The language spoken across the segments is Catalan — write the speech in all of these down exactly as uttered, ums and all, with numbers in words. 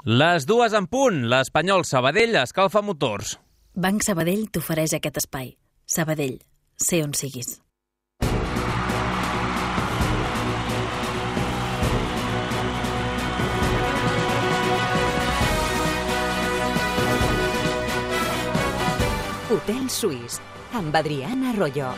Les dues en punt, l'Espanyol Sabadell escalfa motors. Banc Sabadell t'ofereix aquest espai. Sabadell, sé on siguis. Hotel Suís, amb Adriana Arroyo.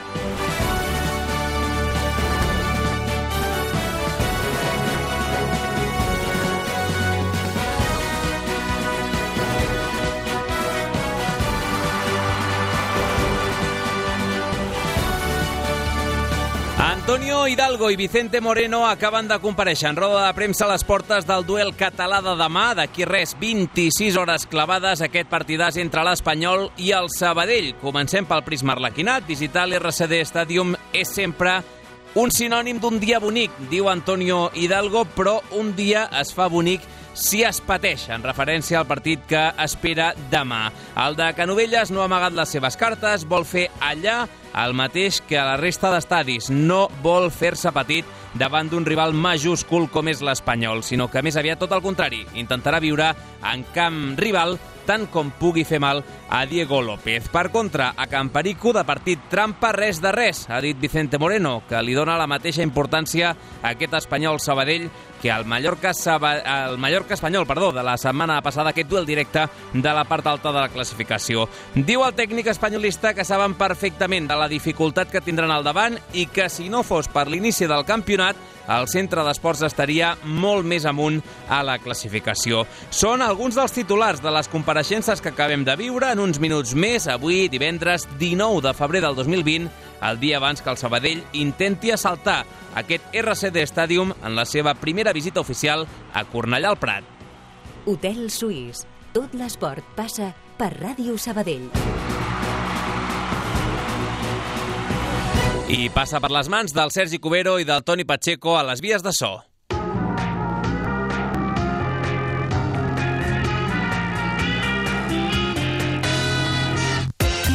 Antonio Hidalgo i Vicente Moreno acaben de comparèixer en roda de premsa a les portes del duel català de demà. D'aquí res, vint-i-sis hores clavades, aquest partidàs entre l'Espanyol i el Sabadell. Comencem pel prisma arlequinat. Visitar l'R C D Stadium és sempre un sinònim d'un dia bonic, diu Antonio Hidalgo, però un dia es fa bonic si es pateix, en referència al partit que espera demà. El de Canovelles no ha amagat les seves cartes, vol fer allà el mateix que a la resta d'estadis. No vol fer-se petit davant d'un rival majúscul com és l'Espanyol, sinó que més aviat tot el contrari. Intentarà viure en camp rival tant com pugui fer mal a Diego López. Per contra, a Camparico, de partit trampa, res de res, ha dit Vicente Moreno, que li dona la mateixa importància a aquest Espanyol Sabadell que al Mallorca, Saba... el Mallorca Espanyol perdó, de la setmana passada, aquest duel directe de la part alta de la classificació. Diu el tècnic espanyolista que saben perfectament de la dificultat que tindran al davant i que si no fos per l'inici del campionat, el centre d'esports estaria molt més amunt a la classificació. Són alguns dels titulars de les compareixences que acabem de viure en uns minuts més, avui, divendres dinou de febrer del dos mil vint, el dia abans que el Sabadell intenti assaltar aquest R C D Stadium en la seva primera visita oficial a Cornellà al Prat. Hotel Suís. Tot l'esport passa per Ràdio Sabadell. I passa per les mans del Sergi Cubero i del Toni Pacheco a les vies de so.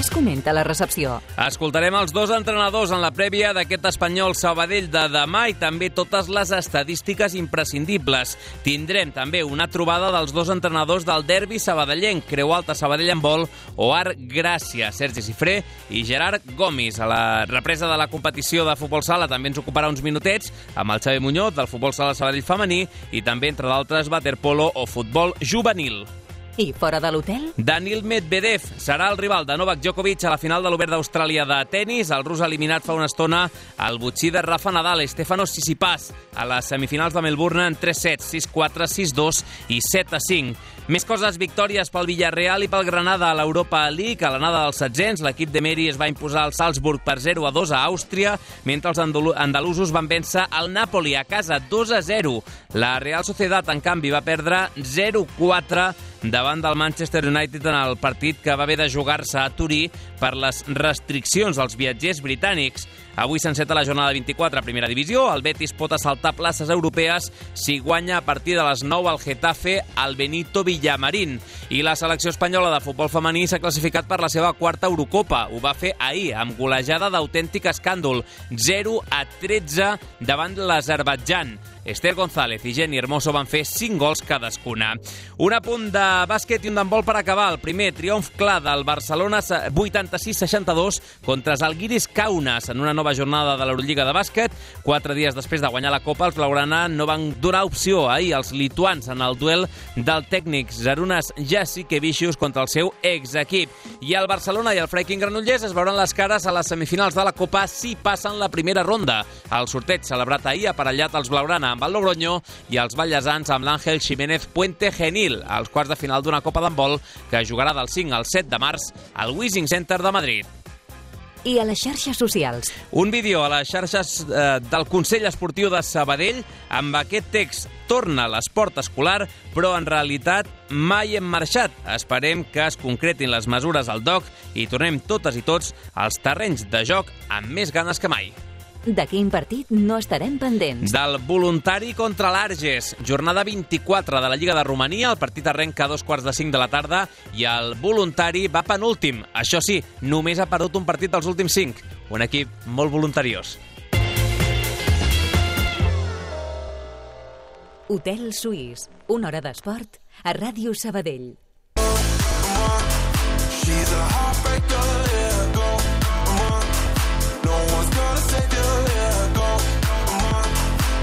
Es comenta a la recepció. Escoltarem els dos entrenadors en la prèvia d'aquest Espanyol Sabadell de demà i també totes les estadístiques imprescindibles. Tindrem també una trobada dels dos entrenadors del derbi sabadellenc, Creu Alta Sabadell Handbol o Arc Gràcia, Sergi Cifré i Gerard Gomis. A la represa de la competició de futbol sala també ens ocuparà uns minutets amb el Xavi Muñoz del futbol sala Sabadell femení i també, entre d'altres, waterpolo o futbol juvenil. I fora de l'hotel? Daniil Medvedev serà el rival de Novak Djokovic a la final de l'Obert d'Austràlia de tennis. El rus ha eliminat fa una estona el botxí de Rafa Nadal, Stefanos Tsitsipas, a les semifinals de Melbourne en tres sets, sis quatre, sis dos i set a cinc. Més coses, victòries pel Villarreal i pel Granada a l'Europa League. A l'anada dels setzents, l'equip de Meri es va imposar al Salzburg per zero a dos a Àustria, mentre els andalusos van vèncer el Napoli a casa dos a zero. La Real Sociedad, en canvi, va perdre zero quatre davant del Manchester United en el partit que va haver de jugar-se a Turí per les restriccions als viatgers britànics. Avui s'enceta la jornada vint-i-quatre a Primera Divisió. El Betis pot assaltar places europees si guanya a partir de les nou al Getafe al Benito Villamarín. I la selecció espanyola de futbol femení s'ha classificat per la seva quarta Eurocopa. Ho va fer ahir, amb golejada d'autèntic escàndol, zero a tretze davant l'Azerbaidjan. Esther González i Jenny Hermoso van fer cinc gols cadascuna. Un apunt de bàsquet i un d'handbol per acabar. El primer triomf clar del Barcelona vuitanta-sis seixanta-dos contra Zalgiris Kaunas en una nova jornada de l'Eurolliga de bàsquet. Quatre dies després de guanyar la Copa, els blaugrana no van donar opció ahir als lituans en el duel del tècnic Zarunas Jasikevičius contra el seu exequip. I el Barcelona i el Freiking Granollers es veuran les cares a les semifinals de la Copa si passen la primera ronda. El sorteig celebrat ahir ha aparellat els blaugrana amb el Logroño i els ballesans amb l'Àngel Ximénez Puente Genil, als quarts de final d'una Copa d'handbol que jugarà del cinc al set de març al Wishing Center de Madrid. I a les xarxes socials. Un vídeo a les xarxes eh, del Consell Esportiu de Sabadell amb aquest text: torna l'esport escolar, però en realitat mai hem marxat. Esperem que es concretin les mesures al D O C i tornem totes i tots als terrenys de joc amb més ganes que mai. De quin partit no estarem pendents? Del voluntari contra l'Arges. Jornada vint-i-quatre de la Lliga de Romania. El partit arrenca a dos quarts de cinc de la tarda i el voluntari va penúltim. Això sí, només ha perdut un partit dels últims cinc. Un equip molt voluntariós. Hotel Suís, una hora d'esport a Ràdio Sabadell. She's a heartbreaker, yeah, go, come on. No one's gonna save you, yeah, go, come on.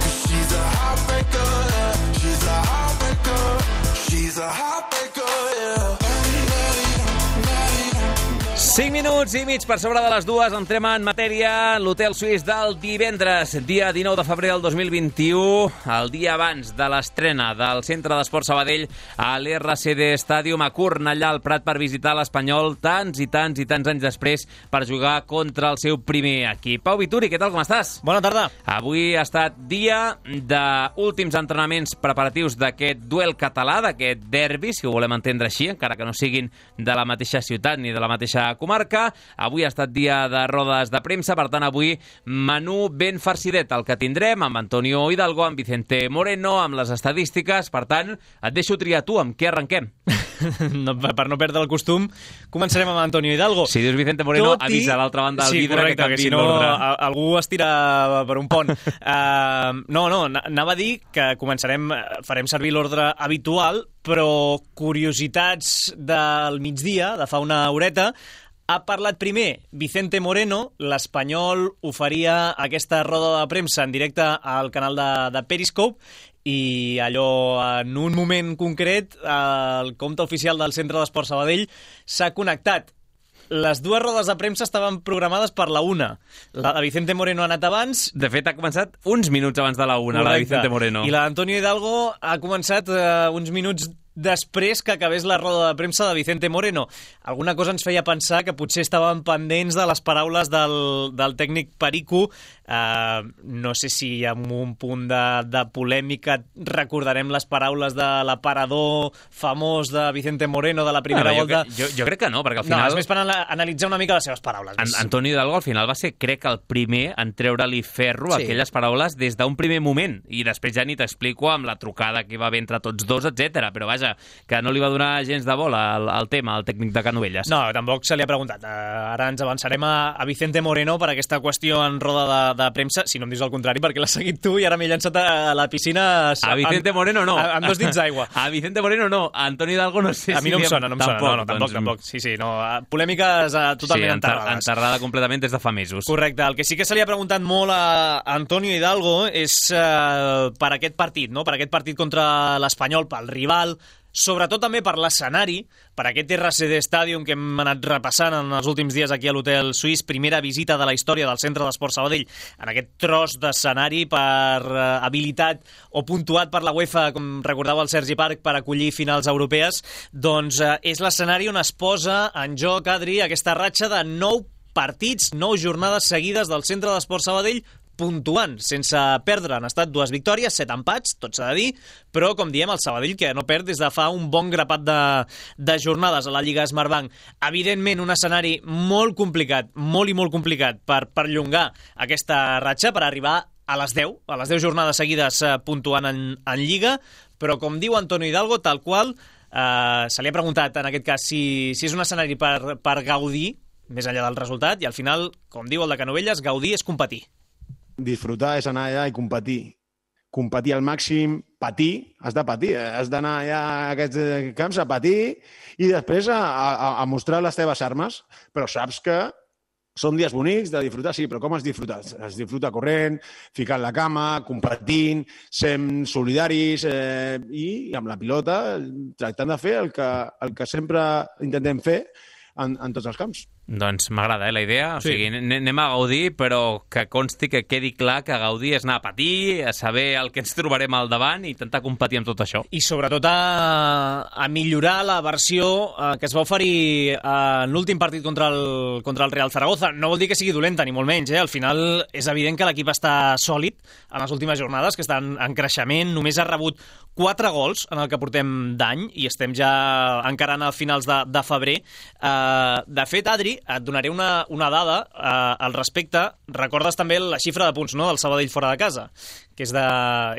'Cause she's a heartbreaker, yeah. She's a heartbreaker. She's a heartbreaker, yeah. cinc minuts i mig per sobre de les dues, entrem en matèria. L'Hotel Suís del divendres, dia dinou de febrer del dos mil vint-i-u, el dia abans de l'estrena del Centre d'Esport Sabadell a l'R C D Stadium a Cornellà al Prat per visitar l'Espanyol tants i tants i tants anys després per jugar contra el seu primer equip. Pau Vituri, què tal, com estàs? Bona tarda. Avui ha estat dia d'últims entrenaments preparatius d'aquest duel català, d'aquest derbi, si ho volem entendre així, encara que no siguin de la mateixa ciutat ni de la mateixa comarca. Avui ha estat dia de rodes de premsa, per tant avui menú ben farcidet el que tindrem, amb Antonio Hidalgo, amb Vicente Moreno, amb les estadístiques. Per tant, et deixo triar tu, amb què arrenquem? No, per no perdre el costum, començarem amb Antonio Hidalgo. Si dius Vicente Moreno, Tot i... avisa a l'altra banda del sí, vidre correcte, que canviï que si no, l'ordre. a, algú es tira per un pont. uh, no, no, anava a dir que començarem, farem servir l'ordre habitual, però curiositats del migdia, de fa una horeta. Ha parlat primer Vicente Moreno, l'Espanyol oferia aquesta roda de premsa en directe al canal de, de Periscope, i allò, en un moment concret, el compte oficial del Centre d'Esport Sabadell s'ha connectat. Les dues rodes de premsa estaven programades per la una. La de Vicente Moreno ha anat abans. De fet, ha començat uns minuts abans de la una, la de Vicente Moreno. I la d'Antonio Hidalgo ha començat eh, uns minuts després que acabés la roda de premsa de Vicente Moreno. Alguna cosa ens feia pensar que potser estaven pendents de les paraules del, del tècnic Perico. Uh, no sé si amb un punt de, de polèmica recordarem les paraules de l'aparador famós de Vicente Moreno de la primera no, jo volta. Crec, jo, jo crec que no, perquè al final... No, és més per analitzar una mica les seves paraules. An Antonio Hidalgo al final va ser, crec, el primer en treure-li ferro sí. aquelles paraules des d'un primer moment, i després ja ni t'explico amb la trucada que hi va haver entre tots dos, etcètera. Però vaja, que no li va donar gens de bola al, al tema, al tècnic de Canovelles. No, tampoc se li ha preguntat. Uh, ara ens avançarem a, a Vicente Moreno per aquesta qüestió en roda de, de premsa, si no em dius el contrari, perquè l'has seguit tu i ara m'he llançat a la piscina... A Vicente Moreno no. A, amb dos dits d'aigua. A Vicente Moreno no. A Antonio Hidalgo no sé si... A mi no em sona, no em tampoc, sona. No, no, tampoc, doncs... tampoc. Sí, sí, no. Polèmiques uh, totalment sí, enterrades. enterrada completament des de fa mesos. Correcte. El que sí que se li ha preguntat molt a Antonio Hidalgo és uh, per aquest partit, no? Per aquest partit contra l'Espanyol, pel rival, sobretot també per l'escenari, per aquest R C D Stadium que hem anat repassant en els últims dies aquí a l'Hotel Suís, primera visita de la història del Centre d'Esport Sabadell en aquest tros d'escenari per uh, habilitat o puntuat per la UEFA, com recordava el Sergi Parc, per acollir finals europees. Doncs uh, és l'escenari on es posa en joc, Adri, aquesta ratxa de nou partits, nou jornades seguides del Centre d'Esport Sabadell puntuant, sense perdre. Han estat dues victòries, set empats, tot s'ha de dir, però, com diem, el Sabadell que no perd des de fa un bon grapat de, de jornades a la Lliga Smartbank. Evidentment, un escenari molt complicat, molt i molt complicat per perllongar aquesta ratxa, per arribar a les deu, a les deu jornades seguides eh, puntuant en, en Lliga, però, com diu Antonio Hidalgo, tal qual, eh, se li ha preguntat, en aquest cas, si, si és un escenari per, per gaudir, més enllà del resultat, i al final, com diu el de Canovelles, gaudir és competir. Disfrutar és anar allà i competir. Competir al màxim, patir, has de patir, has d'anar allà a aquests camps a patir i després a, a, a mostrar les teves armes, però saps que són dies bonics de disfrutar, sí, però com has disfrutat? Es disfruta corrent, ficant la cama, competint, sent solidaris eh, i amb la pilota tractant de fer el que, el que sempre intentem fer en, en tots els camps. Doncs m'agrada, eh, la idea. O sí. sigui, anem a gaudir, però que consti, que quedi clar que gaudir és anar a patir, a saber el que ens trobarem al davant i intentar competir amb tot això. I sobretot a, a millorar la versió eh, que es va oferir eh, en l'últim partit contra el, contra el Real Zaragoza. No vol dir que sigui dolenta, ni molt menys. Eh? Al final és evident que l'equip està sòlid en les últimes jornades, que estan en creixement. Només ha rebut quatre gols en el que portem d'any i estem ja encarant a finals de, de febrer. Eh, de fet, Adri, et donaré una, una dada eh, al respecte. Recordes també la xifra de punts, no?, del Sabadell fora de casa, que és de,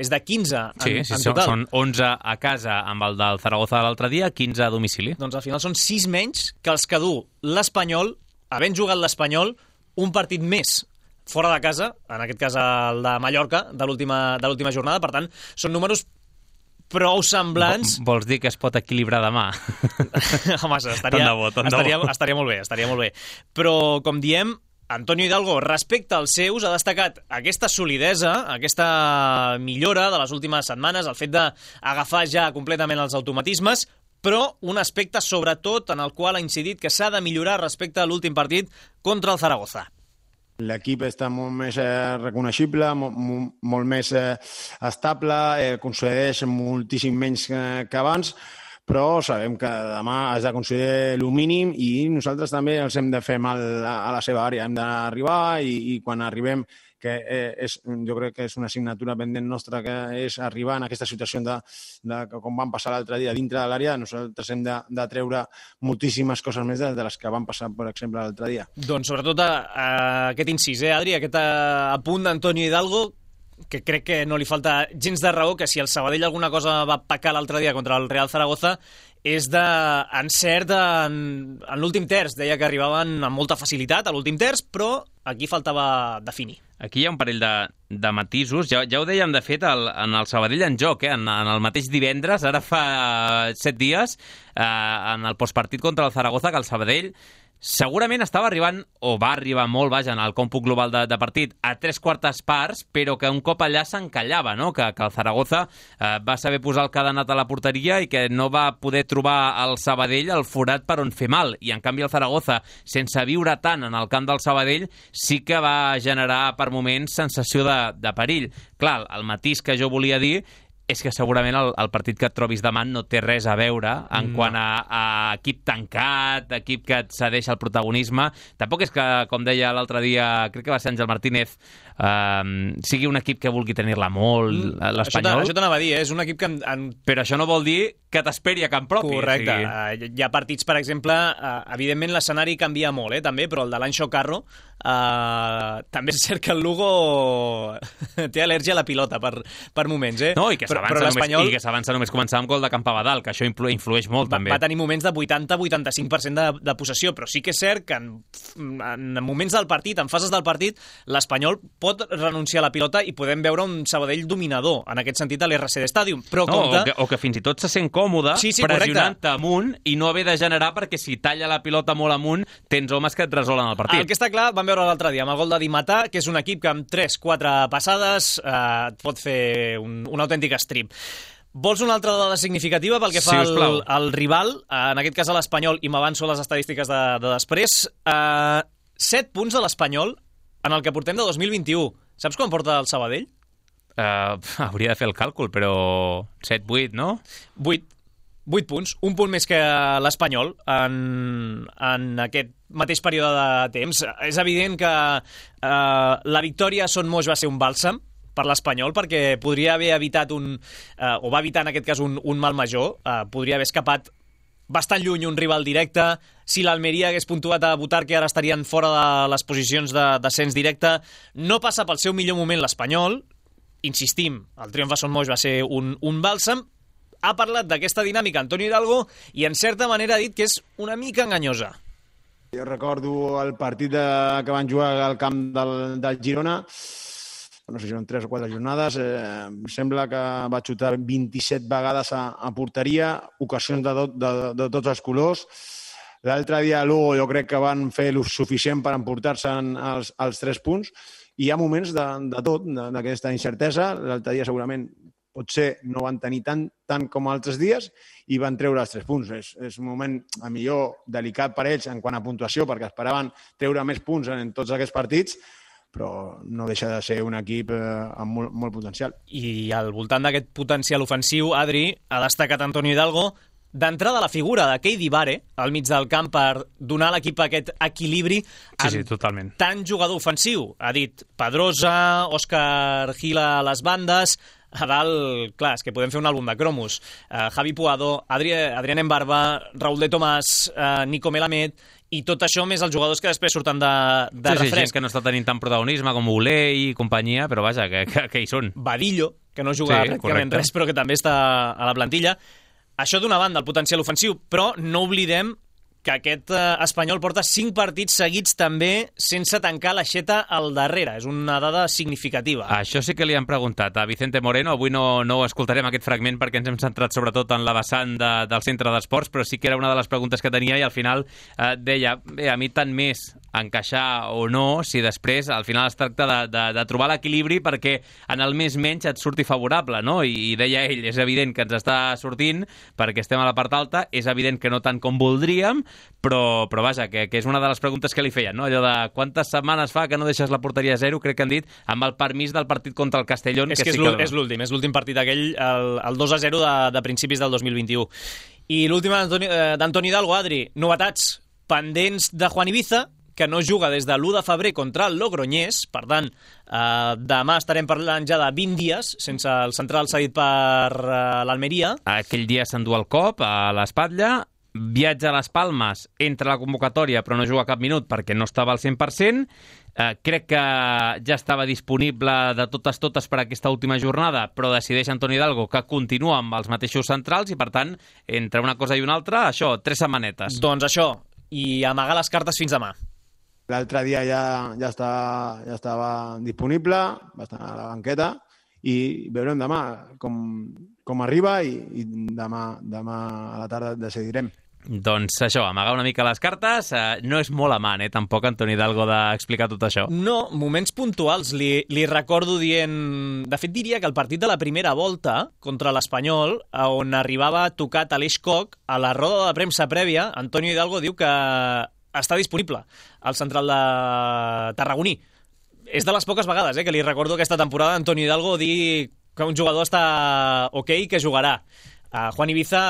és de quinze en, sí, sí, en són, total. Són onze a casa amb el del Zaragoza de l'altre dia, quinze a domicili. Doncs al final són sis menys que els que du l'Espanyol, havent jugat l'Espanyol, un partit més fora de casa, en aquest cas el de Mallorca, de l'última de l'última jornada. Per tant, són números prou semblants... Vols dir que es pot equilibrar demà? Home, estaria, Tant de bo, tant de estaria, bo. estaria molt bé, estaria molt bé. Però, com diem, Antonio Hidalgo, respecte als seus, ha destacat aquesta solidesa, aquesta millora de les últimes setmanes, el fet d'agafar ja completament els automatismes, però un aspecte, sobretot, en el qual ha incidit que s'ha de millorar respecte a l'últim partit contra el Zaragoza. L'equip està molt més eh, reconeixible, molt, molt més eh, estable, eh, concedeix moltíssim menys que, que abans, però sabem que demà has de concedir el mínim i nosaltres també els hem de fer mal a, a la seva àrea. Hem d'arribar i, i quan arribem, que eh, és, jo crec que és una assignatura pendent nostra, que és arribar en aquesta situació de, de com van passar l'altre dia dintre de l'àrea, nosaltres hem de, de treure moltíssimes coses més de, de les que van passar, per exemple, l'altre dia. Doncs sobretot a, a aquest incís, eh, Adri, aquest a, a punt d'Antonio Hidalgo, que crec que no li falta gens de raó, que si el Sabadell alguna cosa va pecar l'altre dia contra el Real Zaragoza és d'encert en, en l'últim terç. Deia que arribaven amb molta facilitat a l'últim terç, però aquí faltava definir. Aquí hi ha un parell de, de matisos. Ja, ja ho dèiem, de fet, el, en el Sabadell en joc, eh? en, en el mateix divendres, ara fa set dies, eh, en el postpartit contra el Zaragoza, que el Sabadell segurament estava arribant, o va arribar molt, vaja, en el còmput global de, de partit, a tres quartes parts, però que un cop allà s'encallava, no? Que, que el Zaragoza eh, va saber posar el cadenat a la porteria i que no va poder trobar al Sabadell el forat per on fer mal. I, en canvi, el Zaragoza, sense viure tant en el camp del Sabadell, sí que va generar, per moments, sensació de, de perill. Clar, el matís que jo volia dir és que segurament el, el partit que et trobis demà no té res a veure en no. quant a, a equip tancat, equip que et cedeix el protagonisme. Tampoc és que, com deia l'altre dia, crec que va ser Àngel Martínez, eh, sigui un equip que vulgui tenir-la molt, mm, l'Espanyol. Això t'anava a dir, eh? És un equip que... En, en... Però això no vol dir que t'esperi a camp propi. Correcte. O sigui... Uh, hi ha partits, per exemple, uh, evidentment l'escenari canvia molt, eh, també, però el de l'Anxo Carro, uh, també és cert que el Lugo té al·lèrgia a la pilota per, per moments, eh? No, i que s'avança només, només començar amb gol de camp a Badal, que això influ, influeix molt, va, també. Va tenir moments de vuitanta a vuitanta-cinc per cent de, de possessió, però sí que és cert que en, en moments del partit, en fases del partit, l'Espanyol pot renunciar a la pilota i podem veure un Sabadell dominador, en aquest sentit, a l'R C D Stadium. Però no, compte... o, que, o que fins i tot se sent còmode sí, sí, pressionant-te amunt i no haver de generar, perquè si talla la pilota molt amunt tens homes que et resolen el partit. El que està clar, vam veure l'altre dia amb el gol de Di Matà, que és un equip que amb tres quatre passades eh, et pot fer un, un autèntic strip. Vols una altra dada significativa pel que fa sí, al, al rival, en aquest cas a l'Espanyol, i m'avanço a les estadístiques de, de després. Eh, set punts de l'Espanyol en el que portem de dos mil vint-i-u. Saps quan porta el Sabadell? Uh, hauria de fer el càlcul, però set vuit, no? vuit. vuit punts, un punt més que l'Espanyol en, en aquest mateix període de temps. És evident que eh, la victòria a Son Moix va ser un bàlsam per l'Espanyol, perquè podria haver evitat un, eh, o va evitar en aquest cas un, un mal major, eh, podria haver escapat bastant lluny un rival directe. Si l'Almeria hagués puntuat a Butarque, ara estarien fora de les posicions de descens directe. No passa pel seu millor moment l'Espanyol. Insistim, el triomf a Son Moix va ser un, un bàlsam. Ha parlat d'aquesta dinàmica Antonio Hidalgo i en certa manera ha dit que és una mica enganyosa. Jo recordo el partit de, que van jugar al camp del, del Girona, no sé si eren tres o quatre jornades, eh, sembla que va xutar vint-i-set vegades a, a porteria, ocasions de, tot, de, de tots els colors. L'altre dia Lugo jo crec que van fer el suficient per emportar-se els, els tres punts, i hi ha moments de, de tot, d'aquesta incertesa. L'altre dia segurament potser no van tenir tant, tant com altres dies i van treure els tres punts. És, és un moment, a millor, delicat per ells en quant a puntuació, perquè esperaven treure més punts en tots aquests partits, però no deixa de ser un equip eh, amb molt, molt potencial. I al voltant d'aquest potencial ofensiu, Adri, ha destacat Antonio Hidalgo d'entrada la figura de Keidi Bare al mig del camp per donar a l'equip aquest equilibri sí, sí, totalment. Tant jugador ofensiu. Ha dit Pedrosa, Òscar Gil a les bandes, a dalt, clar, és que podem fer un àlbum de cromos. Uh, Javi Puado, Adri, Adrián Embarba, Raúl de Tomàs, uh, Nico Melamed, i tot això més els jugadors que després surten de, de sí, refresc. Sí, gent que no està tenint tant protagonisme com Olé i companyia, però vaja, que, que, que hi són. Badillo, que no juga sí, pràcticament correcte. Res, però que també està a la plantilla. Això d'una banda, el potencial ofensiu, però no oblidem que aquest eh, Espanyol porta cinc partits seguits també sense tancar l'aixeta al darrere. És una dada significativa. Això sí que li han preguntat a Vicente Moreno. Avui no, no escoltarem aquest fragment perquè ens hem centrat sobretot en la vessant de, del centre d'esports, però sí que era una de les preguntes que tenia i al final eh, deia, bé, a mi tant més encaixar o no, si després al final es tracta de, de, de trobar l'equilibri perquè en el més menys et surti favorable, no? I, i deia ell, és evident que ens està sortint perquè estem a la part alta, és evident que no tant com voldríem, però, però vaja, que, que és una de les preguntes que li feien, no? Allò de quantes setmanes fa que no deixes la porteria a zero, crec que han dit, amb el permís del partit contra el Castellón. És que, que sí és l'últim, és l'últim partit aquell, el, el dos a zero de, de principis del dos mil vint-i-u. I l'últim d'Antoni Hidalgo, Adri, novetats pendents de Juan Ibiza, que no juga des de l'u de febrer contra el Logroñés, per tant, eh, demà estarem parlant ja de vint dies sense el central cedit per eh, l'Almeria. Aquell dia s'endú el cop a l'espatlla, viatja a les Palmes, entra a la convocatòria però no juga cap minut perquè no estava al cent per cent. Eh, crec que ja estava disponible de totes totes per aquesta última jornada, però decideix Antoni Hidalgo que continua amb els mateixos centrals i per tant, entre una cosa i una altra, això, tres setmanetes. Doncs això, i amagar les cartes fins demà. L'altre dia ja, ja, està, ja estava disponible, va estar a la banqueta i veurem demà com, com arriba i, i demà, demà a la tarda decidirem. Doncs això, amagar una mica les cartes, eh, no és molt amant, eh, tampoc, Antoni Hidalgo, d'explicar tot això. No, moments puntuals. Li, li recordo dient... De fet, diria que el partit de la primera volta contra l'Espanyol, on arribava tocat Aleix Koch, a la roda de premsa prèvia, Antonio Hidalgo diu que està disponible al central de Tarragoní. És de les poques vegades eh, que li recordo aquesta temporada Antonio Hidalgo dir que un jugador està ok i que jugarà. Uh, Juan Ibiza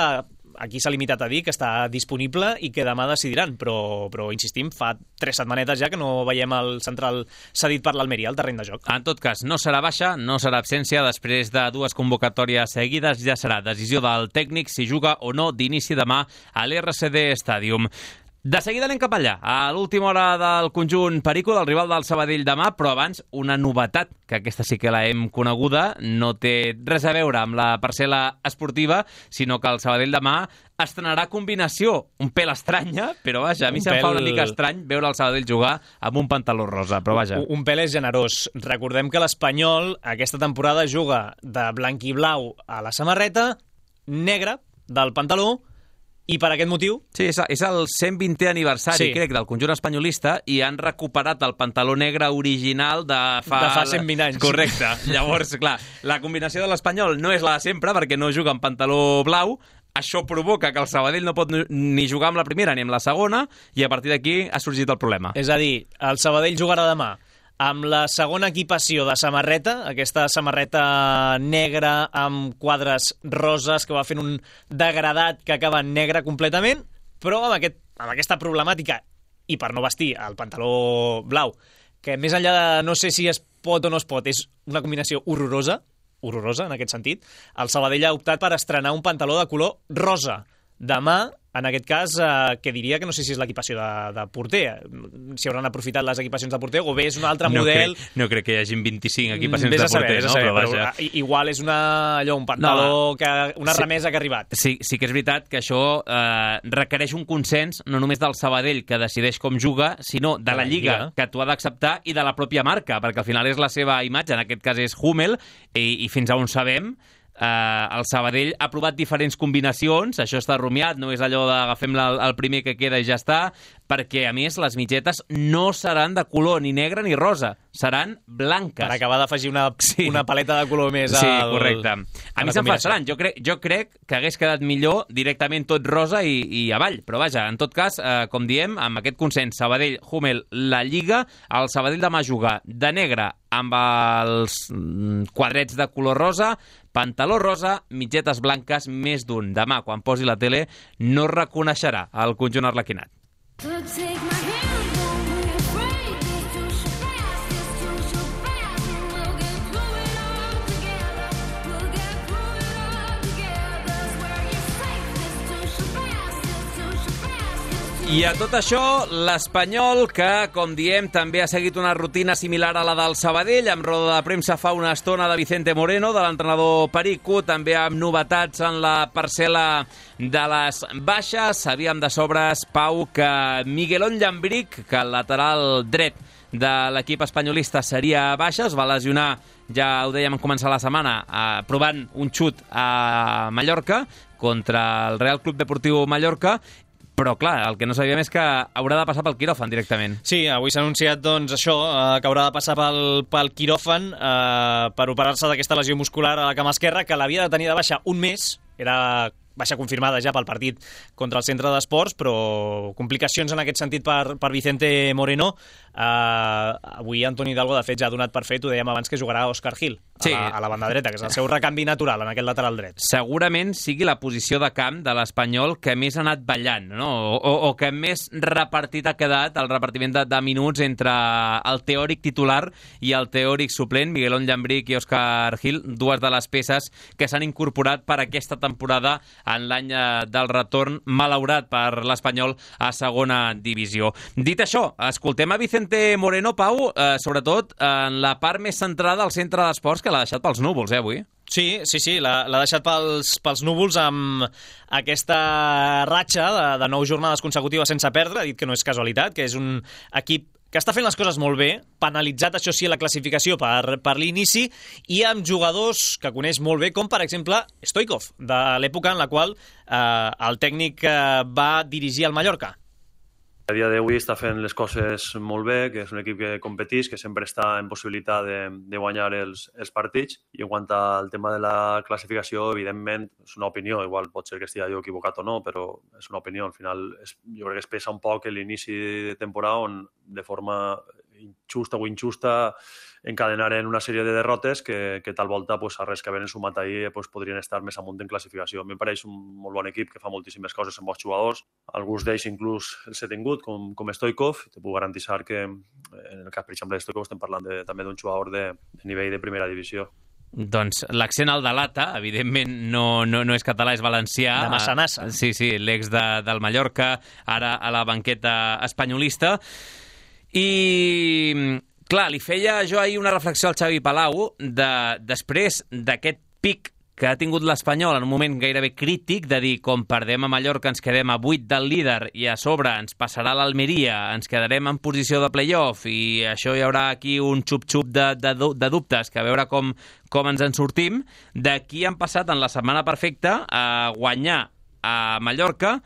aquí s'ha limitat a dir que està disponible i que demà decidiran, però, però insistim, fa tres setmanetes ja que no veiem el central cedit per l'Almeria al terreny de joc. En tot cas, no serà baixa, no serà absència, després de dues convocatòries seguides ja serà decisió del tècnic si juga o no d'inici demà a l'R C D Stadium. De seguida anem cap allà, a l'última hora del conjunt Perico, del rival del Sabadell demà, però abans una novetat, que aquesta sí que la hem coneguda, no té res a veure amb la parcel·la esportiva, sinó que el Sabadell demà estrenarà combinació, un pèl estranya, però vaja, a mi un se'm pèl... fa una mica estrany veure el Sabadell jugar amb un pantaló rosa, però vaja. Un, un pèl és generós. Recordem que l'Espanyol aquesta temporada juga de blanc i blau a la samarreta, negra del pantaló, i per aquest motiu... Sí, és, és el cent vintè aniversari, sí. crec, del conjunt espanyolista i han recuperat el pantaló negre original de fa... De fa cent vint anys. Correcte. Llavors, clar, la combinació de l'Espanyol no és la de sempre perquè no juga amb pantaló blau. Això provoca que el Sabadell no pot ni jugar amb la primera ni amb la segona i a partir d'aquí ha sorgit el problema. És a dir, el Sabadell jugarà demà amb la segona equipació de samarreta, aquesta samarreta negra amb quadres roses que va fent un degradat que acaba en negre completament, però amb, aquest, amb aquesta problemàtica, i per no vestir el pantaló blau, que més enllà de no sé si es pot o no es pot, és una combinació horrorosa, horrorosa en aquest sentit, el Sabadell ha optat per estrenar un pantaló de color rosa. Demà, en aquest cas, eh, que diria que no sé si és l'equipació de, de porter, si hauran aprofitat les equipacions de porter, o bé és un altre no model... Crec, no crec que hi hagi vint-i-cinc equipacions vés de porter, saber, no? Saber, però, però vaja. igual és una, allò, un pantaló, no, que, una sí, remesa que ha arribat. Sí, sí que és veritat que això eh, requereix un consens, no només del Sabadell, que decideix com juga, sinó de la Lliga, que t'ho ha d'acceptar, i de la pròpia marca, perquè al final és la seva imatge, en aquest cas és Hummel, i, i fins a on sabem... Uh, el Sabadell ha provat diferents combinacions, això està rumiat, no és allò d'agafem el, el primer que queda i ja està, perquè a més les mitgetes no seran de color ni negre ni rosa, seran blanques. Per acabar d'afegir una, sí. una paleta de color més sí, al... correcte. A mi se'm fa estrany, jo, crec, jo crec que hagués quedat millor directament tot rosa i, i avall, però vaja, en tot cas, eh, com diem, amb aquest consens Sabadell, Hummel, la Lliga, el Sabadell demà juga de negre amb els quadrets de color rosa, pantaló rosa, mitgetes blanques, més d'un. Demà, quan posi la tele, no reconeixerà el conjunt arlequinat. I a tot això, l'Espanyol, que, com diem, també ha seguit una rutina similar a la del Sabadell, amb roda de premsa fa una estona de Vicente Moreno, de l'entrenador Perico, també amb novetats en la parcel·la de les baixes. Sabíem de sobres, Pau, que Miguelón Llambric, que el lateral dret de l'equip espanyolista seria baixa, es va lesionar, ja ho dèiem en començar la setmana, eh, provant un xut a Mallorca contra el Real Club Deportiu Mallorca. Però, clar, el que no sabíem és que haurà de passar pel quiròfan directament. Sí, avui s'ha anunciat, doncs, això, eh, que haurà de passar pel, pel quiròfan eh, per operar-se d'aquesta lesió muscular a la cama esquerra, que l'havia de tenir de baixa un mes, era baixa confirmada ja pel partit contra el centre d'esports, però complicacions en aquest sentit per, per Vicente Moreno. Uh, avui Antoni Hidalgo, de fet, ja ha donat per fet, ho dèiem abans, que jugarà Òscar Gil a, sí. la, a la banda dreta, que és el seu recanvi natural en aquest lateral dret. Segurament sigui la posició de camp de l'Espanyol que més ha anat ballant, no? o, o que més repartit ha quedat el repartiment de, de minuts entre el teòric titular i el teòric suplent, Miguelón Llambric i Òscar Gil, dues de les peces que s'han incorporat per aquesta temporada en l'any del retorn malaurat per l'Espanyol a segona divisió. Dit això, escoltem a Vicente Moreno, Pau, eh, sobretot en la part més centrada al centre d'esports, que l'ha deixat pels núvols, eh, avui? Sí, sí, sí, l'ha deixat pels, pels núvols amb aquesta ratxa de, de nou jornades consecutives sense perdre. Ha dit que no és casualitat, que és un equip que està fent les coses molt bé, penalitzat, això sí, la classificació per, per l'inici, i amb jugadors que coneix molt bé, com, per exemple, Stoichkov, de l'època en la qual eh, el tècnic eh, va dirigir el Mallorca. A dia d'avui està fent les coses molt bé, que és un equip que competeix, que sempre està en possibilitat de, de guanyar els, els partits. I en quant al tema de la classificació, evidentment, és una opinió, igual pot ser que estigui jo equivocat o no, però és una opinió. Al final, és, jo crec que es pesa un poc l'inici de temporada on, de forma injusta o injusta, encadenaren una sèrie de derrotes que, que tal volta, pues, a res que havien sumat ahir, pues, podrien estar més amunt en classificació. A mi em pareix un molt bon equip que fa moltíssimes coses amb bons jugadors. Alguns d'ells inclús els he tingut, com, com Stoichkov. Te puc garantir que, en el cas, per exemple, de Stoichkov, estem parlant de, també d'un jugador de, de nivell de primera divisió. Doncs l'accent al de Lata, evidentment no, no, no és català, és valencià. De Massanassa. Sí, sí, l'ex de, del Mallorca, ara a la banqueta espanyolista. I, clar, li feia jo ahir una reflexió al Xavi Palau de, després d'aquest pic que ha tingut l'Espanyol en un moment gairebé crític, de dir, com perdem a Mallorca ens quedem a vuit del líder i a sobre ens passarà l'Almeria, ens quedarem en posició de play-off i això hi haurà aquí un xup-xup de, de, de dubtes, que a veure com, com ens en sortim. D'aquí han passat en la setmana perfecta a guanyar a Mallorca,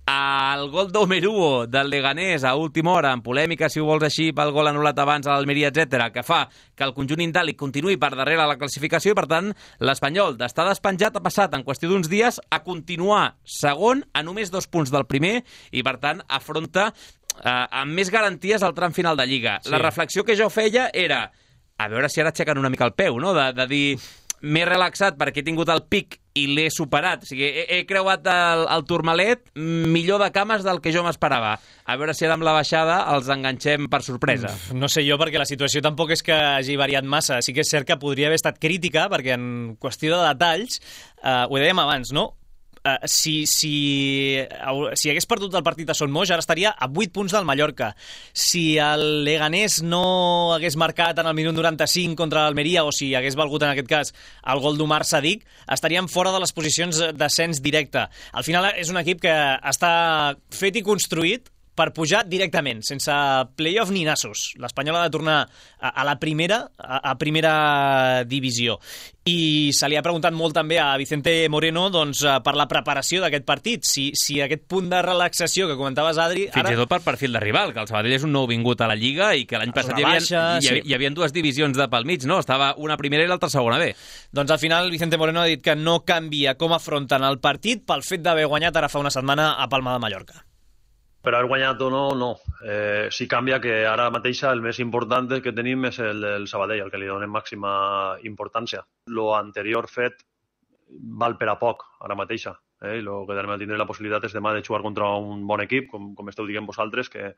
el gol d'Omeruo del Leganés a última hora, en polèmica, si ho vols així, pel gol anul·lat abans a l'Almeria, etcètera, que fa que el conjunt indàlic continuï per darrere la classificació i, per tant, l'Espanyol d'estar despenjat ha passat en qüestió d'uns dies a continuar segon a només dos punts del primer i, per tant, afronta eh, amb més garanties el tram final de Lliga. Sí. La reflexió que jo feia era a veure si ara aixequen una mica el peu, no? De, de dir, m'he relaxat perquè he tingut el pic i l'he superat. O sigui, he, he creuat el, el turmalet millor de cames del que jo m'esperava. A veure si ara amb la baixada els enganxem per sorpresa. No sé jo, perquè la situació tampoc és que hagi variat massa. Sí que és cert que podria haver estat crítica, perquè en qüestió de detalls, eh, ho dèiem abans, no? Uh, si, si, si hagués perdut el partit a Son Moix, ara estaria a vuit punts del Mallorca. Si el Leganés no hagués marcat en el minut noranta-cinc contra l'Almeria, o si hagués valgut en aquest cas el gol d'Omar Sadik, estaríem fora de les posicions d'ascens directe. Al final és un equip que està fet i construït per pujar directament, sense play-off ni nassos. L'Espanyol ha de tornar a, a la primera, a, a primera divisió. I se li ha preguntat molt també a Vicente Moreno, doncs, per la preparació d'aquest partit. Si, si aquest punt de relaxació que comentaves, Adri... Fins ara... i tot per perfil de rival, que el Sabadell és un nou vingut a la Lliga i que l'any passat hi havia, baixa, hi, havia, sí. hi havia dues divisions de pel mig, no? Estava una primera i l'altra segona B. Doncs al final Vicente Moreno ha dit que no canvia com afronten el partit pel fet d'haver guanyat ara fa una setmana a Palma de Mallorca. Per haver guanyat o no, no. Eh, sí canvia que ara mateixa el més important que tenim és el del Sabadell, el que li donem màxima importància. Lo anterior fet val per a poc, ara mateixa. Eh? I lo que tenim a tindre la possibilitat és demà de jugar contra un bon equip, com, com esteu dient vosaltres, que,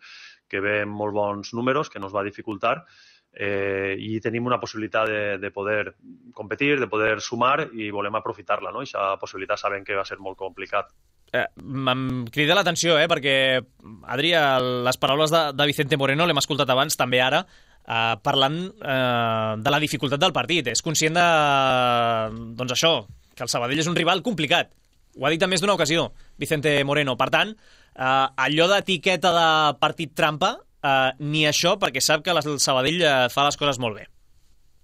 que ve amb molt bons números, que nos va dificultar, eh, i tenim una possibilitat de, de poder competir, de poder sumar, i volem aprofitar-la, no? I aquesta possibilitat sabem que va ser molt complicat. Eh, em crida l'atenció, eh, perquè, Adri, les paraules de, de Vicente Moreno l'hem escoltat abans, també ara, eh, parlant eh, de la dificultat del partit. És conscient de, doncs això, que el Sabadell és un rival complicat. Ho ha dit en més d'una ocasió, Vicente Moreno. Per tant, eh, allò d'etiqueta de partit trampa, eh, ni això, perquè sap que el Sabadell eh, fa les coses molt bé.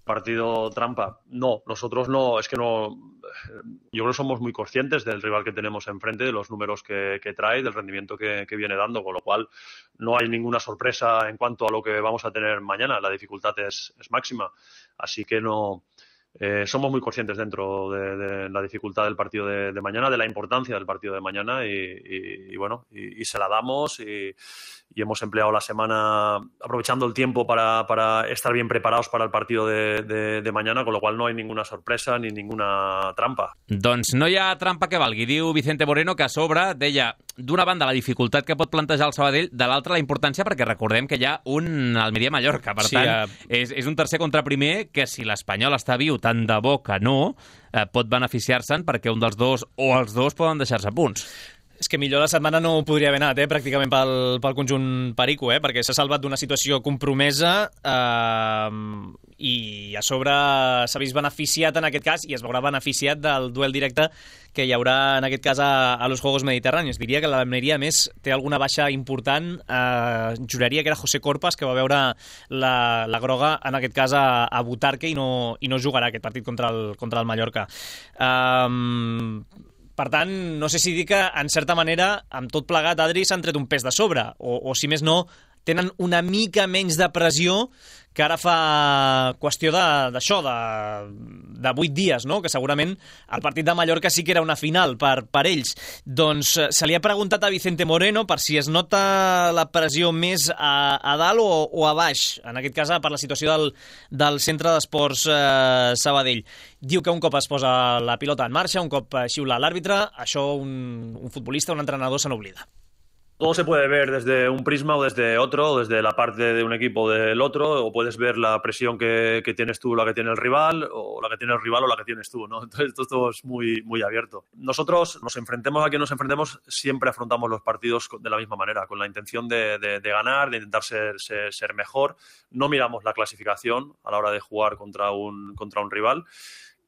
Partido trampa. No, nosotros no, es que no, yo creo que somos muy conscientes del rival que tenemos enfrente, de los números que, que trae, del rendimiento que, que viene dando, con lo cual no hay ninguna sorpresa en cuanto a lo que vamos a tener mañana, la dificultad es, es máxima, así que no, eh, somos muy conscientes dentro de, de la dificultad del partido de, de mañana, de la importancia del partido de mañana y, y, y bueno, y, y se la damos y, y hemos empleado la semana aprovechando el tiempo para, para estar bien preparados para el partido de, de, de mañana, con lo cual no hay ninguna sorpresa ni ninguna trampa. Doncs no hi ha trampa que valgui. Diu Vicente Moreno que a sobre deia d'una banda la dificultat que pot plantejar el Sabadell, de l'altra la importància, perquè recordem que hi ha un Almeria-Mallorca. Per sí, tant, uh... és, és un tercer contra primer que si l'Espanyol està viu, tant de bo que no, eh, pot beneficiar-se'n perquè un dels dos o els dos poden deixar-se punts. És que millor la setmana no podria haver anat, eh, pràcticament pel, pel conjunt perico, eh, perquè s'ha salvat d'una situació compromesa eh, i a sobre s'ha vist beneficiat en aquest cas i es veurà beneficiat del duel directe que hi haurà en aquest cas a, a los Juegos Mediterranis. Diria que l'Almeria, a més, té alguna baixa important. Eh, juraria que era José Corpas, que va veure la, la groga, en aquest cas a, a Butarque, i no, i no jugarà aquest partit contra el, contra el Mallorca. Eh, Per tant, no sé si dir que, en certa manera, amb tot plegat, Adri, s'han tret un pes de sobre, o, o si més no, tenen una mica menys de pressió que ara fa qüestió d'això, de, de, de vuit dies, no? Que segurament el partit de Mallorca sí que era una final per, per ells. Doncs se li ha preguntat a Vicente Moreno per si es nota la pressió més a, a dalt o, o a baix, en aquest cas per la situació del, del centre d'esports eh, Sabadell. Diu que un cop es posa la pilota en marxa, un cop xiula l'àrbitre, això un, un futbolista, un entrenador se n'oblida. Todo se puede ver desde un prisma o desde otro, o desde la parte de un equipo o del otro, o puedes ver la presión que, que tienes tú, la que tiene el rival, o la que tiene el rival o la que tienes tú, ¿no? Entonces esto, esto es muy, muy abierto. Nosotros nos enfrentemos a quien nos enfrentemos, siempre afrontamos los partidos de la misma manera, con la intención de, de, de ganar, de intentar ser, ser, ser mejor. No miramos la clasificación a la hora de jugar contra un, contra un rival.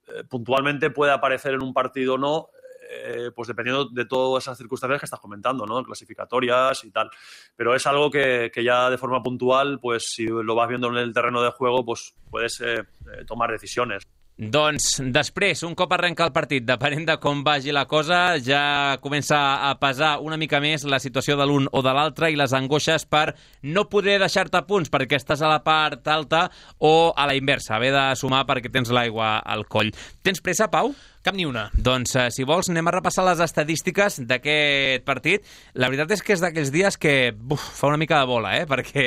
Eh, puntualmente puede aparecer en un partido o no, Eh, pues dependiendo de todas esas circunstancias que estás comentando, ¿no? Clasificatorias y tal. Pero es algo que, que ya de forma puntual, pues si lo vas viendo en el terreno de juego, pues puedes eh, eh, tomar decisiones. Doncs després, un cop arrenca el partit, depenent de com vagi la cosa, ja comença a pesar una mica més la situació de l'un o de l'altre i les angoixes per no poder deixar-te punts perquè estàs a la part alta o a la inversa, haver de sumar perquè tens l'aigua al coll. Tens pressa, Pau? Cap ni una. Doncs, eh, si vols, anem a repassar les estadístiques d'aquest partit. La veritat és que és d'aquells dies que buf, fa una mica de bola, eh? Perquè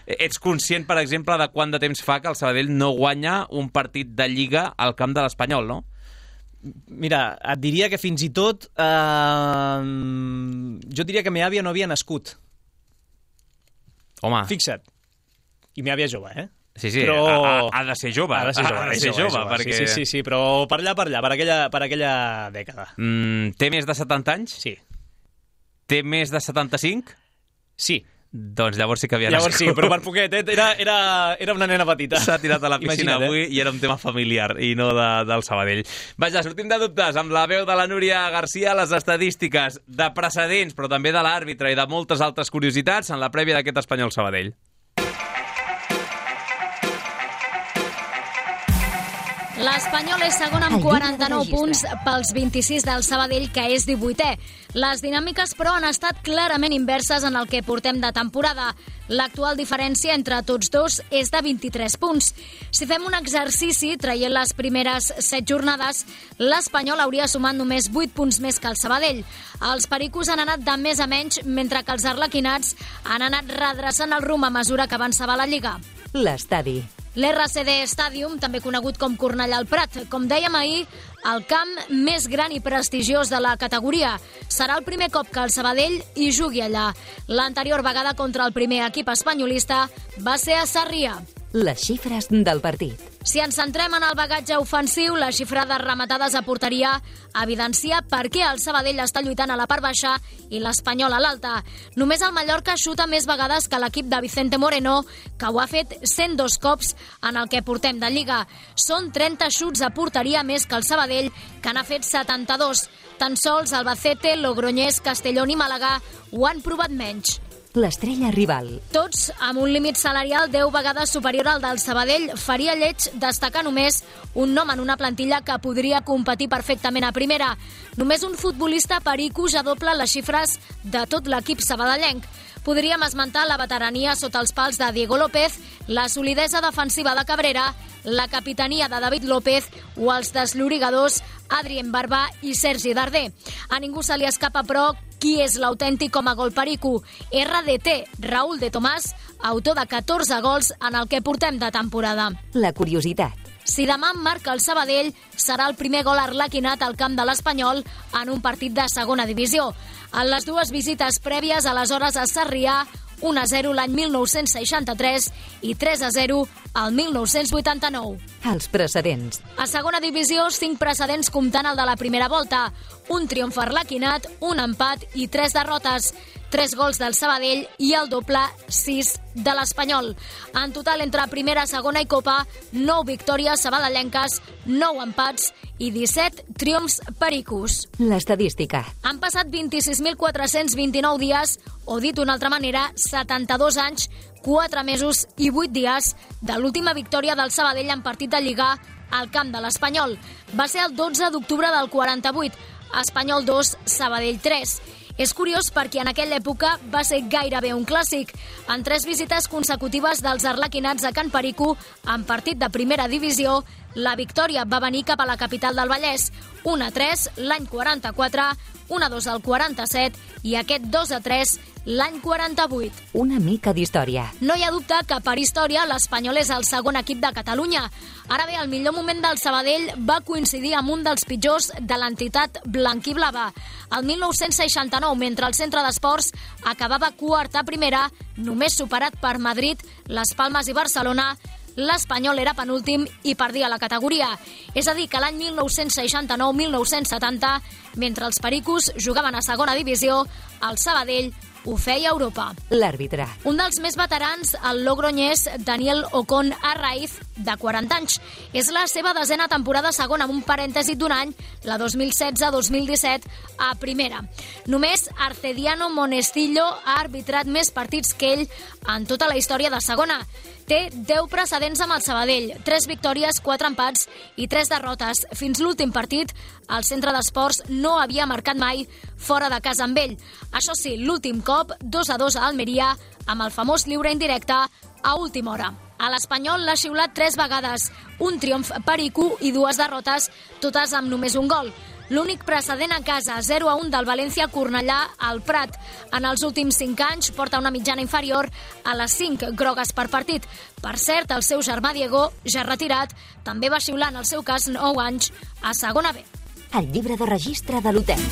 ets conscient, per exemple, de quant de temps fa que el Sabadell no guanya un partit de Lliga al camp de l'Espanyol, no? Mira, et diria que fins i tot eh, jo diria que meva àvia no havia nascut. Home. Fixa't. I meva àvia jove, eh? Sí, sí, però... ha, ha de ser jove. Ha de ser jove, ha de ser jove, jove perquè... Sí, sí, sí, però per allà, per allà, per aquella, per aquella dècada. Mm, té més de setanta anys? Sí. Té més de setanta-cinc? Sí. Doncs llavors sí que havia llavors nascut. sí, però per poquet, eh? era, era, era una nena petita. S'ha tirat a la piscina Imagina't, avui eh? i era un tema familiar i no de, del Sabadell. Vaja, sortim de dubtes amb la veu de la Núria Garcia, les estadístiques de precedents, però també de l'àrbitre i de moltes altres curiositats en la prèvia d'aquest Espanyol-Sabadell. L'Espanyol és segon amb quaranta-nou punts pels vint-i-sis del Sabadell, que és divuitè. Les dinàmiques, però, han estat clarament inverses en el que portem de temporada. L'actual diferència entre tots dos és de vint-i-tres punts. Si fem un exercici, traient les primeres set jornades, l'Espanyol hauria sumat només vuit punts més que el Sabadell. Els pericos han anat de més a menys, mentre que els arlequinats han anat redreçant el rumb a mesura que avançava la Lliga. L'estadi. L'R C D Stadium, també conegut com Cornellà al Prat, com dèiem ahir, el camp més gran i prestigiós de la categoria. Serà el primer cop que el Sabadell hi jugui allà. L'anterior vegada contra el primer equip espanyolista va ser a Sarrià. Les xifres del partit. Si ens centrem en el bagatge ofensiu, la xifra de rematades a porteria evidencia per què el Sabadell està lluitant a la part baixa i l'Espanyol a l'alta. Només el Mallorca xuta més vegades que l'equip de Vicente Moreno, que ho ha fet cent dos cops en el que portem de Lliga. Són trenta xuts a porteria més que el Sabadell, que n'ha fet setanta-dos. Tan sols Albacete, Logroñés, Castellón i Màlaga ho han provat menys. L'estrella rival. Tots amb un límit salarial deu vegades superior al del Sabadell, faria lleig destacar només un nom en una plantilla que podria competir perfectament a primera. Només un futbolista perico ja doble les xifres de tot l'equip sabadellenc. Podríem esmentar la veterania sota els pals de Diego López, la solidesa defensiva de Cabrera, la capitania de David López o els deslorigadors Adrien Barba i Sergi Darder. A ningú se li escapa, però, qui és l'autèntic com a gol perico? R D T, Raúl de Tomàs, autor de catorze gols en el que portem de temporada. La curiositat. Si demà marca el Sabadell, serà el primer gol arlequinat al camp de l'Espanyol en un partit de segona divisió. En les dues visites prèvies, aleshores a Sarrià, un a zero l'any mil nou-cents seixanta-tres i tres a zero al mil nou-cents vuitanta-nou. Els precedents. A segona divisió, cinc precedents comptant el de la primera volta. Un triomf arlequinat, un empat i tres derrotes. Tres gols del Sabadell i el doble, sis de l'Espanyol. En total, entre primera, segona i Copa, nou victòries sabadellenques, nou empats i disset triomfs pericos. L'estadística. Han passat vint-i-sis mil quatre-cents vint-i-nou dies, o dit d'una altra manera, setanta-dos anys, quatre mesos i vuit dies de l'última victòria del Sabadell en partit de Lliga al camp de l'Espanyol. Va ser el dotze d'octubre del quaranta-vuit, Espanyol dos, Sabadell tres. És curiós perquè en aquella època va ser gairebé un clàssic. En tres visites consecutives dels arlequinats a Can Perico, en partit de primera divisió, la victòria va venir cap a la capital del Vallès. un a tres l'any quaranta-quatre, un a dos al quaranta-set i aquest dos a tres l'any quaranta-vuit. Una mica d'història. No hi ha dubte que per història l'Espanyol és el segon equip de Catalunya. Ara bé, el millor moment del Sabadell va coincidir amb un dels pitjors de l'entitat blanquiblava. El mil nou-cents seixanta-nou, mentre el centre d'esports acabava quart a primera, només superat per Madrid, Les Palmes i Barcelona, l'Espanyol era penúltim i perdia la categoria. És a dir, que l'any mil nou-cents seixanta-nou mil nou-cents setanta, mentre els pericos jugaven a segona divisió, el Sabadell ho feia a Europa. L'àrbitre. Un dels més veterans, el logroñès Daniel Ocon Arraiz, de quaranta anys. És la seva desena temporada segona, amb un parèntesi d'un any, la dos mil setze dos mil disset, a primera. Només Arcediano Monestillo ha arbitrat més partits que ell en tota la història de segona. Té deu precedents amb el Sabadell, tres victòries, quatre empats i tres derrotes. Fins l'últim partit, el centre d'esports no havia marcat mai fora de casa amb ell. Això sí, l'últim cop, dos a dos a Almeria, amb el famós lliure indirecte a última hora. A l'Espanyol l'ha xiulat tres vegades, un triomf perico i dues derrotes, totes amb només un gol. L'únic precedent a casa, zero a un del València Cornellà al Prat. En els últims cinc anys porta una mitjana inferior a les cinc grogues per partit. Per cert, el seu germà Diego, ja retirat, també va xiular en el seu cas nou anys a segona B. El llibre de registre de l'hotel.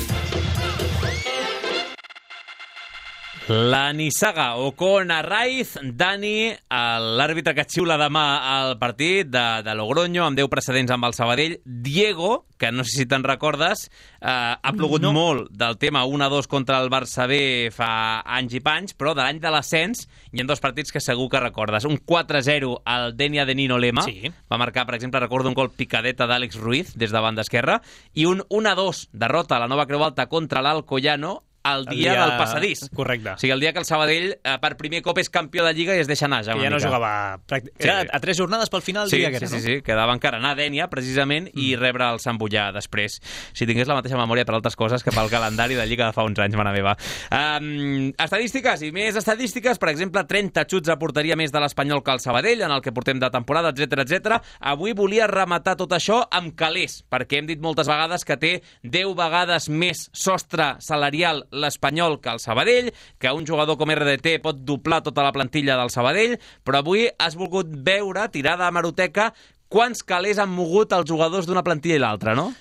La nissaga Ocon Arraiz, Dani, l'àrbitre que xiula demà al partit de, de Logroño, amb deu precedents amb el Sabadell. Diego, que no sé si te'n recordes, eh, ha plogut no. molt del tema un a dos contra el Barça B fa anys i panys, però de l'any de l'ascens hi ha dos partits que segur que recordes. Un quatre a zero al Denia de Nino Lema, sí. va marcar, per exemple, recordo un gol picadeta d'Àlex Ruiz des de banda esquerra, i un un a dos derrota a la Nova Creu Alta contra l'Alcoyano, el dia, el dia del passadís. Correcte. O sigui, el dia que el Sabadell eh, per primer cop és campió de Lliga i es deixa anar ja una ja no mica. jugava... Pràctic... Sí. Era a tres jornades pel final sí, dia que sí, era, sí, no? sí, quedava encara anar a Dènia, precisament, mm. i rebre el Sant Boià després. Si tingués la mateixa memòria per altres coses que pel calendari de Lliga de fa uns anys, mare meva. Um, estadístiques, i més estadístiques, per exemple, trenta xuts a porteria més de l'Espanyol que el Sabadell, en el que portem de temporada, etcètera, etcètera. Avui volia rematar tot això amb calés, perquè hem dit moltes vegades que té deu vegades més sostre salarial l'Espanyol que el Sabadell, que un jugador com R D T pot doblar tota la plantilla del Sabadell, però avui has volgut veure, tirada a hemeroteca, quants calés han mogut els jugadors d'una plantilla i l'altra, no?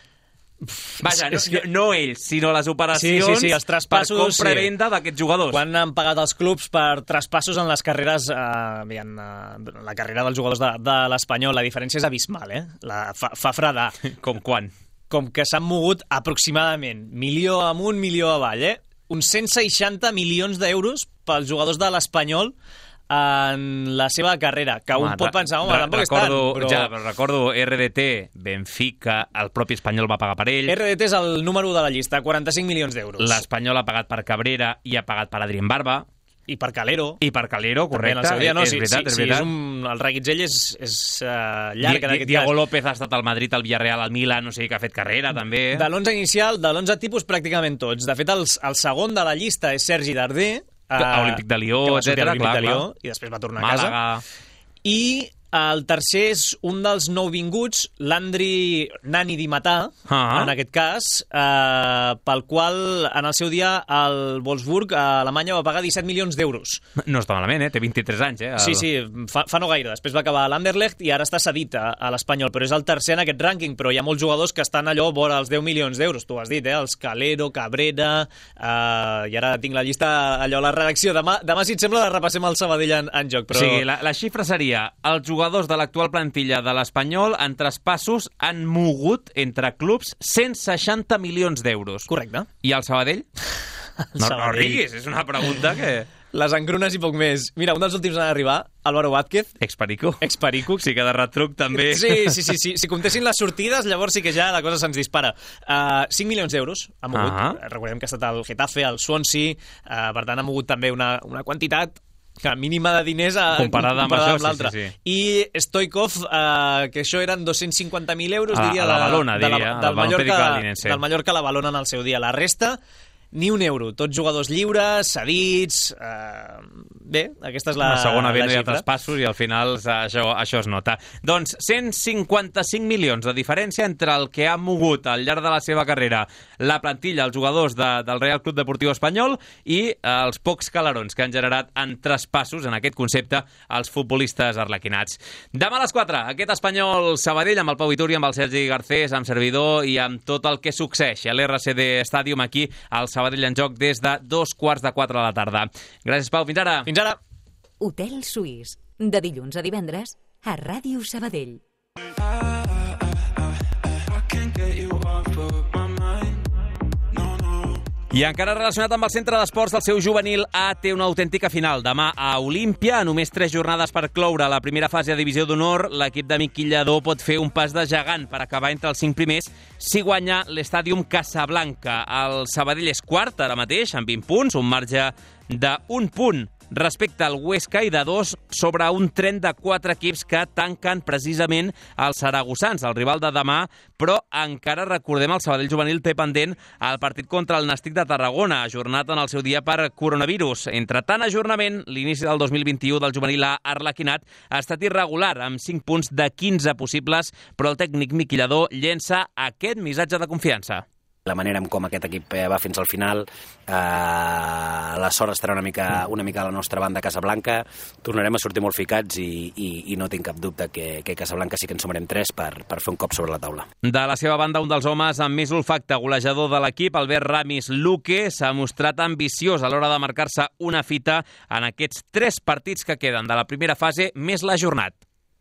Vaja, no, que... no ells, sinó les operacions sí, sí, sí, els traspassos, per compra i venda sí. d'aquests jugadors. Quan han pagat els clubs per traspassos en les carreres, eh, en, eh, la carrera dels jugadors de, de l'Espanyol, la diferència és abismal, eh? La, fa, fa fredar. Com quan? Com que s'han mogut aproximadament milió amunt, milió avall, eh? Uns cent seixanta milions d'euros pels jugadors de l'Espanyol en la seva carrera, que home, un pot pensar, home, tampoc és tant, però... Ja, però recordo R D T, Benfica, el propi Espanyol va pagar per ell. R D T és el número de la llista, quaranta-cinc milions d'euros. L'Espanyol ha pagat per Cabrera i ha pagat per Adrien Barba. I per Calero. I per Calero, correcte. També, dia, no, és, sí, veritat, sí, és veritat. Sí, és un, el reguitzell és, és uh, llarg Di, en aquest Diego cas. López ha estat al Madrid, al Villarreal, al Milan, no sé, que ha fet carrera, també. De l'onze inicial, de l'onze tipus, pràcticament tots. De fet, el, el segon de la llista és Sergi Darder, Uh, Olímpic de Lió, etcètera, clar, de Lió, clar. I després va tornar Màlaga. a casa. I el tercer és un dels nouvinguts, l'Andri Nani Di Matà, ah. en aquest cas, eh, pel qual en el seu dia el Wolfsburg a Alemanya va pagar disset milions d'euros. No està malament, eh? Té vint-i-tres anys, eh? El... Sí, sí, fa, fa no gaire. Després va acabar a l'Anderlecht i ara està cedit a, a l'Espanyol, però és el tercer en aquest rànquing, però hi ha molts jugadors que estan allò vora els deu milions d'euros, tu ho has dit, eh? Els Calero, Cabrera, eh, i ara tinc la llista allò a la redacció. Demà, demà si et sembla, repassem el Sabadell en, en joc. Però... Sí, la, la xifra seria els jugadors de l'actual plantilla de l'Espanyol en traspassos han mogut entre clubs cent seixanta milions d'euros. Correcte. I el Sabadell? El no, Sabadell. no riguis, és una pregunta que... Les engrunes i poc més. Mira, un dels últims en arribar, Álvaro Vázquez. Experico. Experico. Sí que de retruc també. Sí, sí, sí, sí. Si comptessin les sortides, llavors sí que ja la cosa se'ns dispara. Uh, cinc milions d'euros ha mogut. Uh -huh. Recordem que ha estat el Getafe, el Swansea, uh, per tant ha mogut també una, una quantitat que mínima de diners a, comparada, comparada amb, amb l'altre. Sí, sí, sí. I Stoikov, eh, que això eren dos-cents cinquanta mil euros, a, diria, a la de, Balona, de, de diria, la, del, Mallorca, Linense. del Mallorca a la Balona en el seu dia. La resta, ni un euro. Tots jugadors lliures, cedits... Eh, bé, aquesta és la, la segona venda la i de traspassos i al final això, això es nota. Doncs cent cinquanta-cinc milions de diferència entre el que ha mogut al llarg de la seva carrera la plantilla, els jugadors de, del Real Club Deportiu Espanyol i els pocs calarons que han generat en traspassos, en aquest concepte, els futbolistes arlequinats. Demà a les quatre, aquest Espanyol Sabadell amb el Pau Vituri, amb el Sergi Garcés, amb servidor i amb tot el que succeeix a l'R C D Stadium aquí al Sabadell en joc des de dos quarts de quatre de la tarda. Gràcies, Pau. Fins ara. Fins ara. Hotel Suís. De dilluns a divendres a Ràdio Sabadell. I encara relacionat amb el centre d'esports del seu juvenil A, té una autèntica final. Demà a Olímpia, a només tres jornades per cloure la primera fase a Divisió d'Honor, l'equip de Miqui Lladó pot fer un pas de gegant per acabar entre els cinc primers si guanya l'Estàdium Casablanca. El Sabadell és quart ara mateix, amb vint punts, un marge d'un punt respecte al Huesca i de dos sobre un tren de quatre equips que tanquen precisament els saragossans, el rival de demà, però encara recordem el Sabadell juvenil té pendent el partit contra el Nàstic de Tarragona, ajornat en el seu dia per coronavirus. Entre tant ajornament, l'inici del dos mil vint-i-u del juvenil A arlequinat ha estat irregular, amb cinc punts de quinze possibles, però el tècnic Miqui Lladó llença aquest missatge de confiança. La manera en com aquest equip va fins al final, eh, la sort estarà una mica, una mica a la nostra banda a Casablanca, tornarem a sortir molt ficats i, i, i no tinc cap dubte que, que Casablanca sí que en sumarem tres per, per fer un cop sobre la taula. De la seva banda, un dels homes amb més olfacte golejador de l'equip, Albert Ramis Luque, s'ha mostrat ambiciós a l'hora de marcar-se una fita en aquests tres partits que queden de la primera fase, més l'ajornat.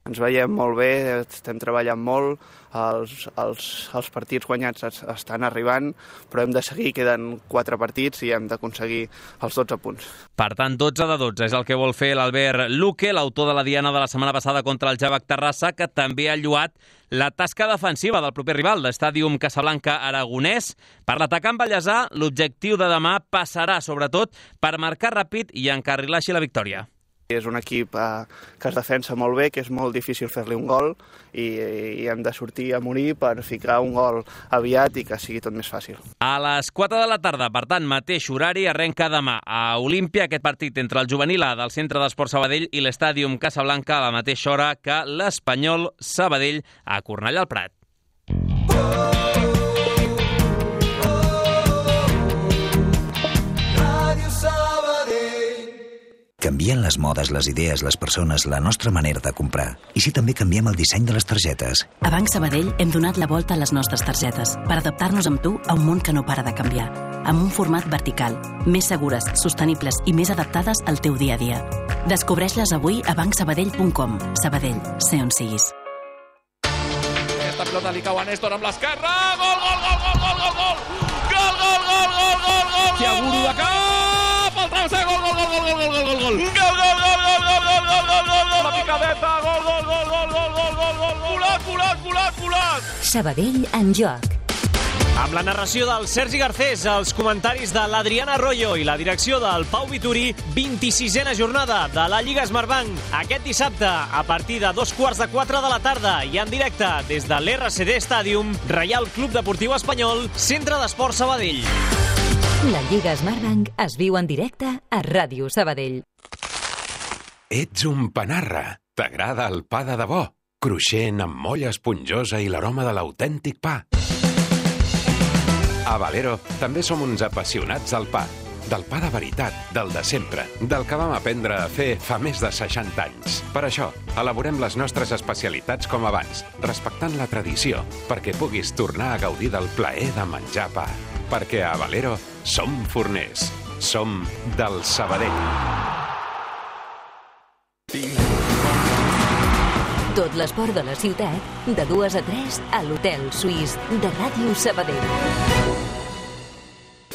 Ens veiem molt bé, estem treballant molt, els, els, els partits guanyats es, estan arribant, però hem de seguir, queden quatre partits i hem d'aconseguir els dotze punts. Per tant, dotze de dotze és el que vol fer l'Albert Luque, l'autor de la diana de la setmana passada contra el Javac Terrassa, que també ha lluat la tasca defensiva del proper rival, l'Estàdium Casablanca aragonès. Per l'atacant ballesà, l'objectiu de demà passarà, sobretot, per marcar ràpid i encarrilar així la victòria. És un equip eh, que es defensa molt bé, que és molt difícil fer-li un gol i, i hem de sortir a morir per ficar un gol aviat i que sigui tot més fàcil. A les quatre de la tarda, per tant, mateix horari, arrenca demà a Olímpia aquest partit entre el juvenil A del Centre d'Esports Sabadell i l'Estàdium Casablanca a la mateixa hora que l'Espanyol Sabadell a Cornellà al Prat. Canvien les modes, les idees, les persones, la nostra manera de comprar. I si també canviem el disseny de les targetes? A Banc Sabadell hem donat la volta a les nostres targetes per adaptar-nos amb tu a un món que no para de canviar. Amb un format vertical, més segures, sostenibles i més adaptades al teu dia a dia. Descobreix-les avui a banc sabadell punt com. Sabadell, sé on siguis. Aquesta pilota li cau a Néstor amb l'esquerra. Gol, gol, gol, gol, gol, gol, gol! Gol, gol, gol, gol, gol, gol! Tiaguro de cap! El travesser, gol, gol, gol, gol, gol, gol, gol, gol! Gol, gol, gol, gol, gol, gol, gol, gol, gol, gol! La picadeta, gol, gol, gol, gol, gol, gol, gol, gol! Volat, volat, volat, volat! Sabadell en joc. Amb la narració del Sergi Garcés, els comentaris de l'Adriana Arroyo i la direcció del Pau Vituri, vint-i-sisena jornada de la Lliga Smartbank. Aquest dissabte, a partir de dos quarts de quatre de la tarda i en directe des de l'R C D Stadium, Reial Club Deportiu Espanyol, Centre d'Esport Sabadell. La Lliga Smartbank es viu en directe a Ràdio Sabadell. Ets un panarra. T'agrada el pa de debò? Cruixent, amb molla esponjosa i l'aroma de l'autèntic pa. A Valero també som uns apassionats del pa. Del pa de veritat, del de sempre, del que vam aprendre a fer fa més de seixanta anys. Per això, elaborem les nostres especialitats com abans, respectant la tradició, perquè puguis tornar a gaudir del plaer de menjar pa. Perquè a Valero som forners. Som del Sabadell. Tot l'esport de la ciutat, de dues a tres, a l'Hotel Suís de Ràdio Sabadell.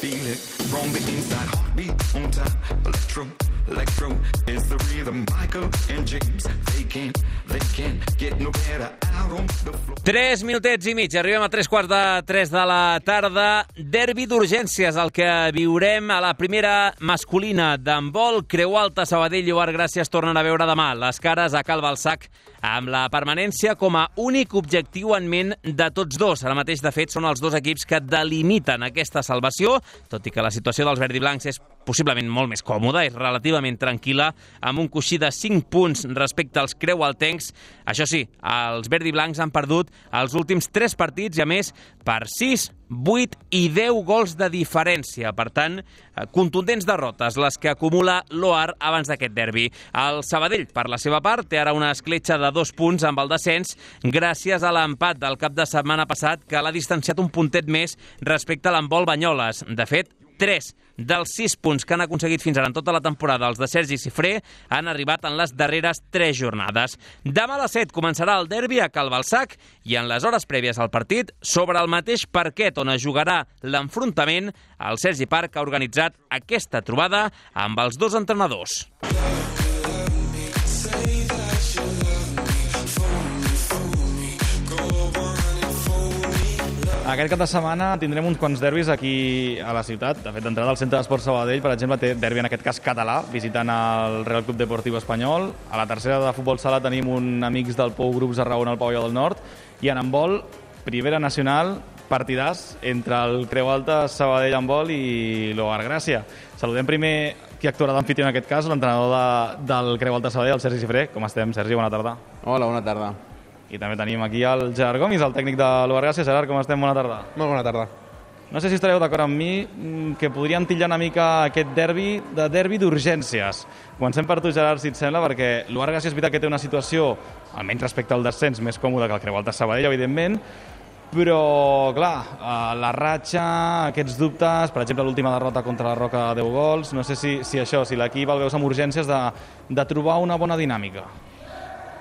Feel it from the inside, heartbeat on time. Electro, electro is the rhythm. Michael and James, they can't, they can't get no better out on the floor. Tres minutets i mig, arribem a tres quarts de tres de la tarda. Derbi d'urgències, el que viurem a la primera masculina d'handbol. Creu Alta, Sabadell i Lloar Gràcies tornen a veure demà les cares a Cal Balsac, amb la permanència com a únic objectiu en ment de tots dos. Ara mateix, de fet, són els dos equips que delimiten aquesta salvació, tot i que la situació dels verdiblancs és possiblement molt més còmoda, és relativament tranquil·la, amb un coixí de cinc punts respecte als creualtencs. Això sí, els verdiblancs han perdut els últims tres partits i, a més, per sis, vuit i deu gols de diferència. Per tant, contundents derrotes, les que acumula l'Oar abans d'aquest derbi. El Sabadell, per la seva part, té ara una escletxa de dos punts amb el descens gràcies a l'empat del cap de setmana passat, que l'ha distanciat un puntet més respecte a l'handbol Banyoles. De fet, tres dels sis punts que han aconseguit fins ara en tota la temporada els de Sergi Cifré han arribat en les darreres tres jornades. Demà a les set començarà el derbi a Cal Balsac i en les hores prèvies al partit, sobre el mateix parquet on es jugarà l'enfrontament, el Sergi Parc ha organitzat aquesta trobada amb els dos entrenadors. Aquest cap de setmana tindrem uns quants derbis aquí a la ciutat. De fet, d'entrada al Centre d'Esport Sabadell, per exemple, té derbi en aquest cas català, visitant el Real Club Deportiu Espanyol. A la tercera de futbol sala tenim un amics del Pou Grups a Raona al Pavelló del Nord. I en handbol, Primera Nacional, partidàs entre el Creu Alta, Sabadell Handbol i l'Hogar Gràcia. Saludem primer qui actuarà d'amfitrió en aquest cas, l'entrenador de, del Creu Alta Sabadell, el Sergi Cifré. Com estem, Sergi? Bona tarda. Hola, bona tarda. I també tenim aquí el Gerard Gomis, el tècnic de l'Hogar Gràcia. Gerard, com estem? Bona tarda. Molt bona tarda. No sé si estareu d'acord amb mi que podríem titllar una mica aquest derbi de derbi d'urgències. Comencem per tu, Gerard, si et sembla, perquè l'Hogar Gràcia és veritat que té una situació, almenys respecte al descens, més còmoda que el Creu Alta Sabadell, evidentment, però, clar, la ratxa, aquests dubtes, per exemple, l'última derrota contra la Roca de deu gols, no sé si, si això, si l'equip el veus amb urgències de, de trobar una bona dinàmica.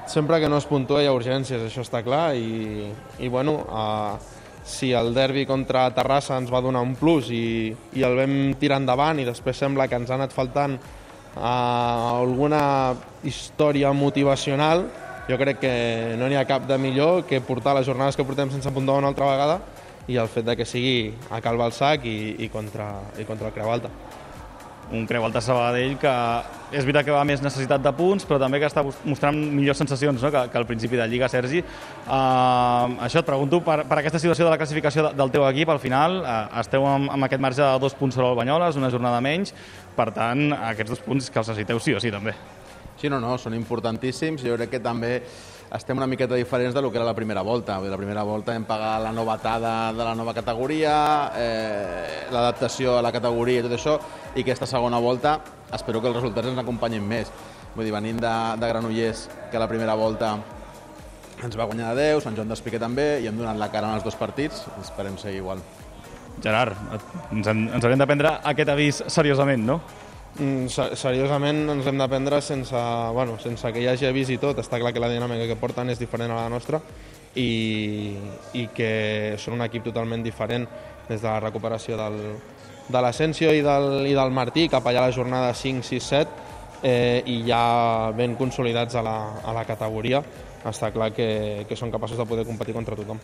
Sempre que no es puntua hi ha urgències, això està clar, i, i bueno, uh, si el derbi contra Terrassa ens va donar un plus i, i el vam tirar endavant i després sembla que ens ha anat faltant uh, alguna història motivacional, jo crec que no n'hi ha cap de millor que portar les jornades que portem sense puntuar una altra vegada i el fet de que sigui a Cal Balsac i, i, contra, i contra el Creu Alta. Un Creu Alta Sabadell que és veritat que va més necessitat de punts, però també que està mostrant millors sensacions, no? que, que al principi de Lliga, Sergi. Uh, això et pregunto, per, per aquesta situació de la classificació del teu equip, al final uh, esteu amb, amb aquest marge de dos punts sobre el Banyoles, una jornada menys, per tant, aquests dos punts que els necessiteu sí o sí, també. Sí, no, no, són importantíssims. Jo crec que també estem una miqueta diferents de lo que era la primera volta. La primera volta hem pagat la novetada de la nova categoria, eh, l'adaptació a la categoria i tot això, i aquesta segona volta espero que els resultats ens acompanyin més. Vull dir, venint de, de Granollers, que la primera volta ens va guanyar de deu, Sant Joan d'Espí també, i hem donat la cara en els dos partits, esperem seguir igual. Gerard, ens, ens haurem de prendre aquest avís seriosament, no? Mm, seriosament ens hem de prendre sense, bueno, sense que hi hagi avís i tot. Està clar que la dinàmica que porten és diferent a la nostra i, i que són un equip totalment diferent des de la recuperació del, de l'Asensio i del, i del Martí cap allà a la jornada cinc, sis, set eh, i ja ben consolidats a la, a la categoria. Està clar que, que són capaços de poder competir contra tothom.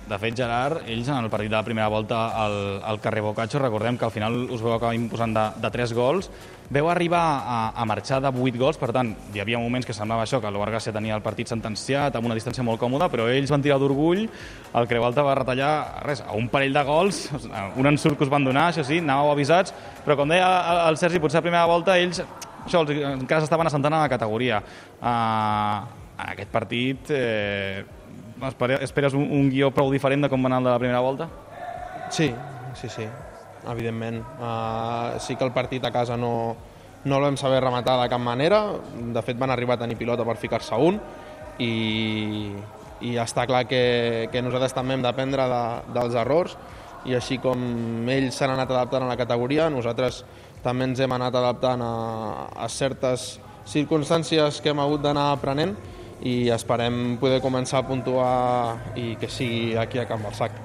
De fet, Gerard, ells en el partit de la primera volta al, al carrer Boccaccio, recordem que al final us veu acabar imposant de, de tres gols, veu arribar a, a marxar de vuit gols, per tant, hi havia moments que semblava això, que el Barça tenia el partit sentenciat amb una distància molt còmoda, però ells van tirar d'orgull, el Creu Alta va retallar res, a un parell de gols, un ensurt que us van donar, això sí, anàveu avisats, però com deia el Sergi, potser a la primera volta ells això, encara s'estaven assentant a la categoria. Uh, en aquest partit... Eh, Esperes un, un guió prou diferent de com va anar el de la primera volta? Sí, sí, sí, evidentment. Uh, sí que el partit a casa no, no el vam saber rematar de cap manera. De fet, van arribar a tenir pilota per ficar-se un i, i està clar que, que nosaltres també hem d'aprendre de, dels errors i així com ells s'han anat adaptant a la categoria, nosaltres també ens hem anat adaptant a, a certes circumstàncies que hem hagut d'anar aprenent i esperem poder començar a puntuar i que sigui aquí a Can Balsac.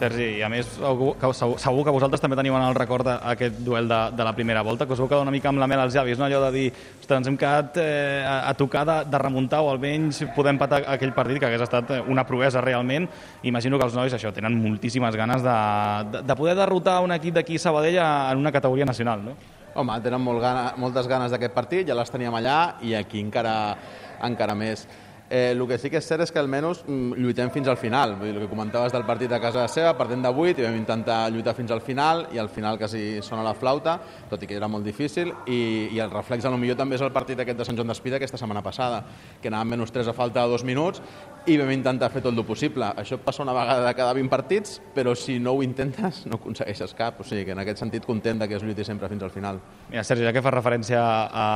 Sergi, i a més segur, segur que vosaltres també teniu en el record aquest duel de, de la primera volta, que us veu quedar una mica amb la mel als llavis, no? Allò de dir, ostres, ens hem quedat eh, a, a tocar de, de remuntar o almenys poder empatar aquell partit, que hagués estat una proesa realment. Imagino que els nois això tenen moltíssimes ganes de, de, de poder derrotar un equip d'aquí Sabadell en una categoria nacional, no? Home, tenen molt gana, moltes ganes d'aquest partit, ja les teníem allà i aquí encara encara més. Eh, el que sí que és cert és que almenys lluitem fins al final. Vull dir, el que comentaves del partit a casa seva, partim de vuit i vam intentar lluitar fins al final i al final quasi sona la flauta, tot i que era molt difícil, i, i el reflex a lo millor també és el partit aquest de Sant Joan d'Espí aquesta setmana passada, que anàvem menys tres a falta de dos minuts i vam intentar fer tot el possible. Això passa una vegada de cada vint partits, però si no ho intentes no aconsegueixes cap. O sigui que en aquest sentit content que es lluiti sempre fins al final. Mira, Sergi, ja que fa referència a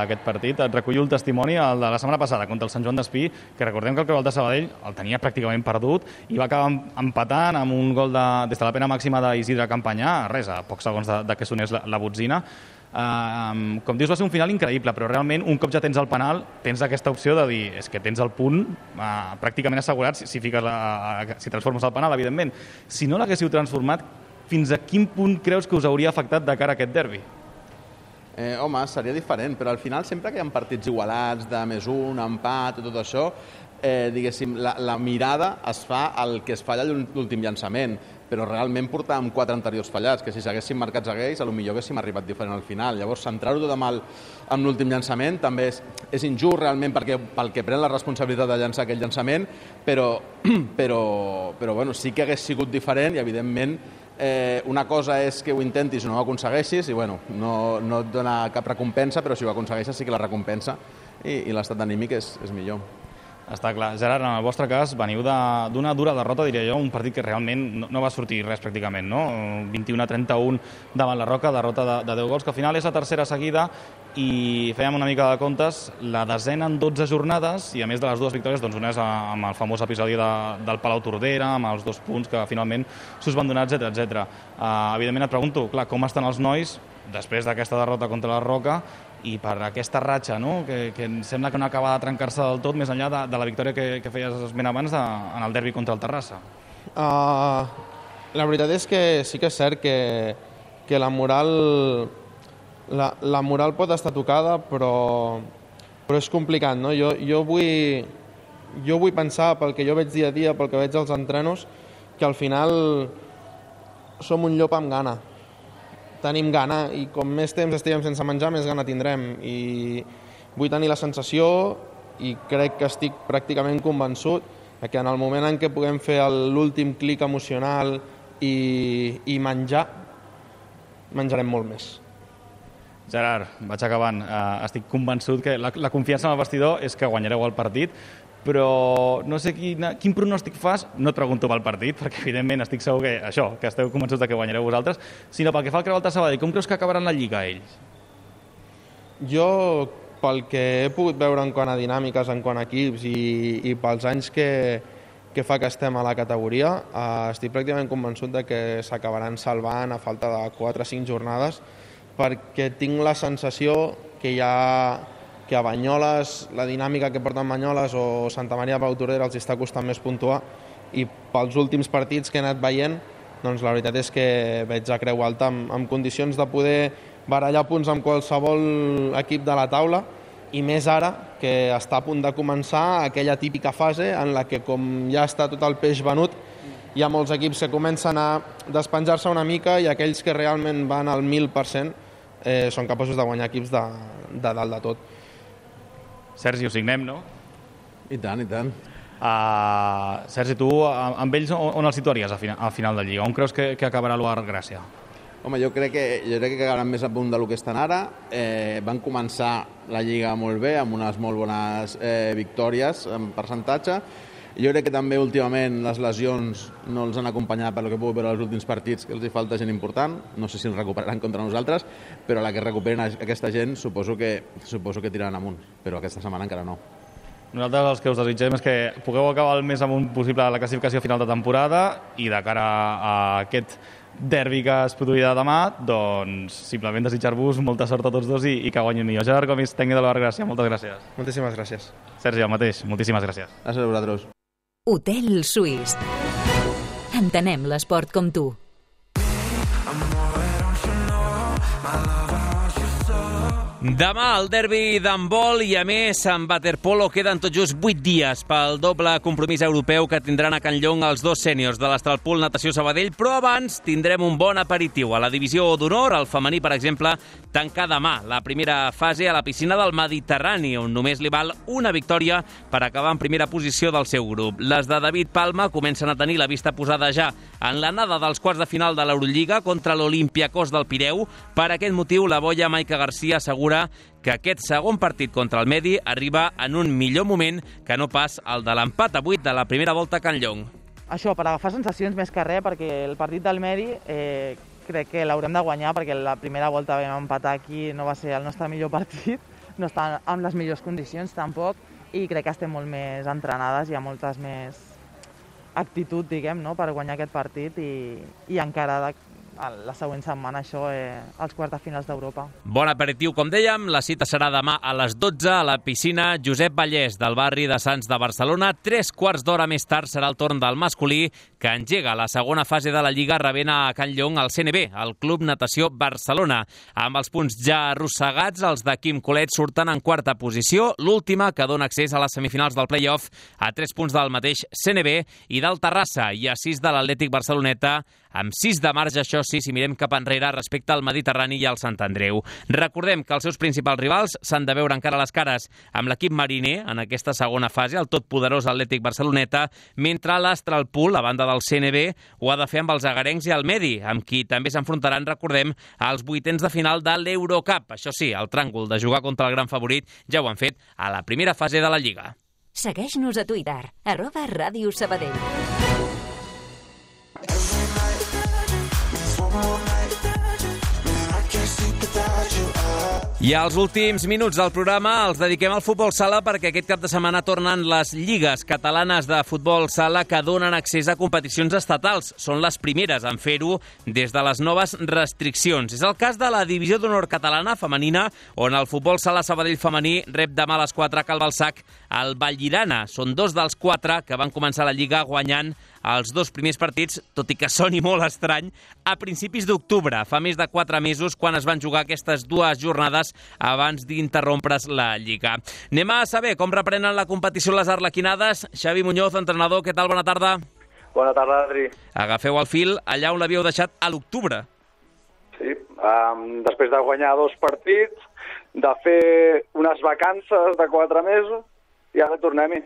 aquest partit, et recullo el testimoni el de la setmana passada contra el Sant Joan d'Espí, que recordem que el Creu Alta Sabadell el tenia pràcticament perdut i va acabar empatant amb un gol de, des de la pena màxima d'Isidre Campanyà, res, a pocs segons de, de que sonés la, la botzina. Uh, com dius, va ser un final increïble, però realment un cop ja tens el penal tens aquesta opció de dir, és que tens el punt uh, pràcticament assegurat si, si, fiques la, si transformes el penal, evidentment. Si no l'haguéssiu transformat, fins a quin punt creus que us hauria afectat de cara a aquest derbi? Eh, home, seria diferent, però al final sempre que hi ha partits igualats de més un, empat i tot això, eh, diguéssim, la, la mirada es fa al que es falla l'últim llançament, però realment portàvem quatre anteriors fallats, que si s'haguessin marcats a ells, potser haguéssim arribat diferent al final. Llavors, centrar-ho tot amb, el, amb l'últim llançament també és, és injust realment perquè, pel que pren la responsabilitat de llançar aquell llançament, però, però, però bueno, sí que hagués sigut diferent i, evidentment, eh, una cosa és que ho intentis i no ho aconsegueixis i bueno, no, no et dona cap recompensa, però si ho aconsegueixes sí que la recompensa i, i l'estat anímic és, és millor. Està clar. Gerard, en el vostre cas, veniu d'una dura derrota, diria jo, un partit que realment no, no va sortir res pràcticament, no? vint-i-u a trenta-u davant la Roca, derrota de, de deu gols, que al final és la tercera seguida i fèiem una mica de comptes, la desena en dotze jornades i a més de les dues victòries, doncs una és amb el famós episodi de, del Palau Tordera, amb els dos punts que finalment s'us van donar, etcètera, etcètera. Uh, evidentment et pregunto, clar, com estan els nois després d'aquesta derrota contra la Roca i per aquesta ratxa, no? que, que em sembla que no acaba de trencar-se del tot més enllà de, de la victòria que, que feies esment abans de, en el derbi contra el Terrassa. Uh, la veritat és que sí que és cert que, que la moral la, la moral pot estar tocada, però, però és complicat, no? Jo, jo, vull, jo vull pensar, pel que jo veig dia a dia, pel que veig als entrenos, que al final som un llop amb gana. Tenim gana i com més temps estiguem sense menjar, més gana tindrem. I vull tenir la sensació, i crec que estic pràcticament convençut, que en el moment en què puguem fer l'últim clic emocional i, i menjar, menjarem molt més. Gerard, vaig acabant. Uh, estic convençut que la, la confiança en el vestidor és que guanyareu el partit, però no sé quina, quin pronòstic fas, no et pregunto pel partit, perquè evidentment estic segur que això, que esteu convençuts de que guanyareu vosaltres, sinó pel que fa al Creu Sabadell, com creus que acabaran la Lliga ells? Jo, pel que he pogut veure en quant a dinàmiques, en quant a equips i, i pels anys que, que fa que estem a la categoria, eh, estic pràcticament convençut de que s'acabaran salvant a falta de quatre o cinc jornades, perquè tinc la sensació que hi ha que a Banyoles, la dinàmica que porten Banyoles o Santa Maria de Palautordera els està costant més puntuar, i pels últims partits que he anat veient, doncs la veritat és que veig a Creu Alta amb, amb condicions de poder barallar punts amb qualsevol equip de la taula, i més ara que està a punt de començar aquella típica fase en la que, com ja està tot el peix venut, hi ha molts equips que comencen a despenjar-se una mica i aquells que realment van al mil per cent eh, són capaços de guanyar equips de, de dalt de tot. Sergi, ho signem, no? I tant, i tant. Uh, Sergi, tu amb ells on, on els situaries al final, al final de Lliga? On creus que, que acabarà l'Uar Gràcia? Home, jo crec que jo crec que quedaran més a punt del que estan ara. Eh, van començar la Lliga molt bé, amb unes molt bones eh, victòries en percentatge. Jo crec que també últimament les lesions no els han acompanyat per lo que puc veure els últims partits, que els hi falta gent important. No sé si els recuperaran contra nosaltres, però la que recuperen aquesta gent suposo que, suposo que tiraran amunt, però aquesta setmana encara no. Nosaltres els que us desitgem és que pugueu acabar el més amunt possible a la classificació final de temporada i de cara a aquest derbi que es produirà demà, doncs simplement desitjar-vos molta sort a tots dos i, i que guanyin millor. Gerard Gomis, tècnic de l'Uar Gràcia, moltes gràcies. Moltíssimes gràcies. Sergi, el mateix, moltíssimes gràcies. Gràcies a vosaltres. Hotel Suís. Entenem l'esport com tu. Demà el derbi d'handbol i, a més, en waterpolo queden tot just vuit dies pel doble compromís europeu que tindran a Can Llong els dos sèniors de l'Astralpool Natació Sabadell, però abans tindrem un bon aperitiu. A la divisió d'honor, el femení, per exemple, tancar demà la primera fase a la piscina del Mediterrani, on només li val una victòria per acabar en primera posició del seu grup. Les de David Palma comencen a tenir la vista posada ja en l'anada dels quarts de final de l'Eurolliga contra l'Olympiacos del Pireu. Per aquest motiu, la boia Maica Garcia assegura que aquest segon partit contra el Medi arriba en un millor moment que no pas el de l'empat a vuit de la primera volta a Can Llong. Això, per agafar sensacions més que res, perquè el partit del Medi eh, crec que l'haurem de guanyar, perquè la primera volta vam empatar aquí, no va ser el nostre millor partit, no està en les millors condicions tampoc, i crec que estem molt més entrenades, hi ha moltes més actitud, diguem, no?, per guanyar aquest partit i, i encara de, la següent setmana això, eh, als quarts de finals d'Europa. Bon aperitiu, com dèiem. La cita serà demà a les dotze a la piscina Josep Vallès del barri de Sants de Barcelona. Tres quarts d'hora més tard serà el torn del masculí, que engega la segona fase de la Lliga rebent a Can Llong al C N B, el Club Natació Barcelona. Amb els punts ja arrossegats, els de Quim Colet surten en quarta posició, l'última que dona accés a les semifinals del play-off a tres punts del mateix C N B i del Terrassa i a sis de l'Atlètic Barceloneta, amb sis de marge, això sí, si mirem cap enrere respecte al Mediterrani i al Sant Andreu. Recordem que els seus principals rivals s'han de veure encara les cares amb l'equip mariner en aquesta segona fase, el totpoderós Atlètic Barceloneta, mentre l'Astralpool, a banda del C N B, ho ha de fer amb els agarencs i el Medi, amb qui també s'enfrontaran, recordem, als vuitens de final de l'Eurocup. Això sí, el tràngol de jugar contra el gran favorit ja ho han fet a la primera fase de la Lliga. Segueix-nos a Twitter, arroba Ràdio Sabadell. I els últims minuts del programa els dediquem al futbol sala perquè aquest cap de setmana tornen les lligues catalanes de futbol sala que donen accés a competicions estatals. Són les primeres en fer-ho des de les noves restriccions. És el cas de la divisió d'honor catalana femenina, on el futbol sala Sabadell femení rep demà a les quatre a Cal Balsac al Vallirana. Són dos dels quatre que van començar la lliga guanyant els dos primers partits, tot i que soni molt estrany, a principis d'octubre, fa més de quatre mesos, quan es van jugar aquestes dues jornades abans d'interrompre's la Lliga. Anem a saber com reprenen la competició les arlequinades. Xavi Muñoz, entrenador, què tal? Bona tarda. Bona tarda, Adri. Agafeu el fil allà on l'havíeu deixat a l'octubre. Sí, um, després de guanyar dos partits, de fer unes vacances de quatre mesos, i ara tornem-hi.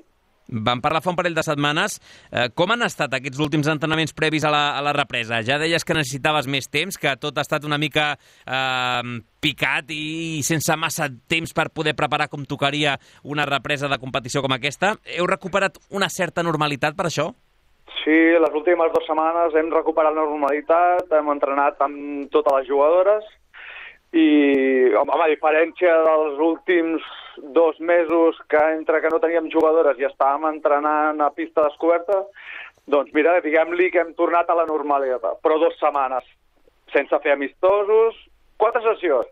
Vam parlar fa un parell de setmanes. Eh, com han estat aquests últims entrenaments previs a la, a la represa? Ja deies que necessitaves més temps, que tot ha estat una mica eh, picat i sense massa temps per poder preparar com tocaria una represa de competició com aquesta. Heu recuperat una certa normalitat per això? Sí, les últimes dues setmanes hem recuperat la normalitat, hem entrenat amb totes les jugadores i, home, a diferència dels últims dos mesos que entre que no teníem jugadores i estàvem entrenant a pista descoberta, doncs mira, diguem-li que hem tornat a la normalitat, però dues setmanes, sense fer amistosos, quatre sessions.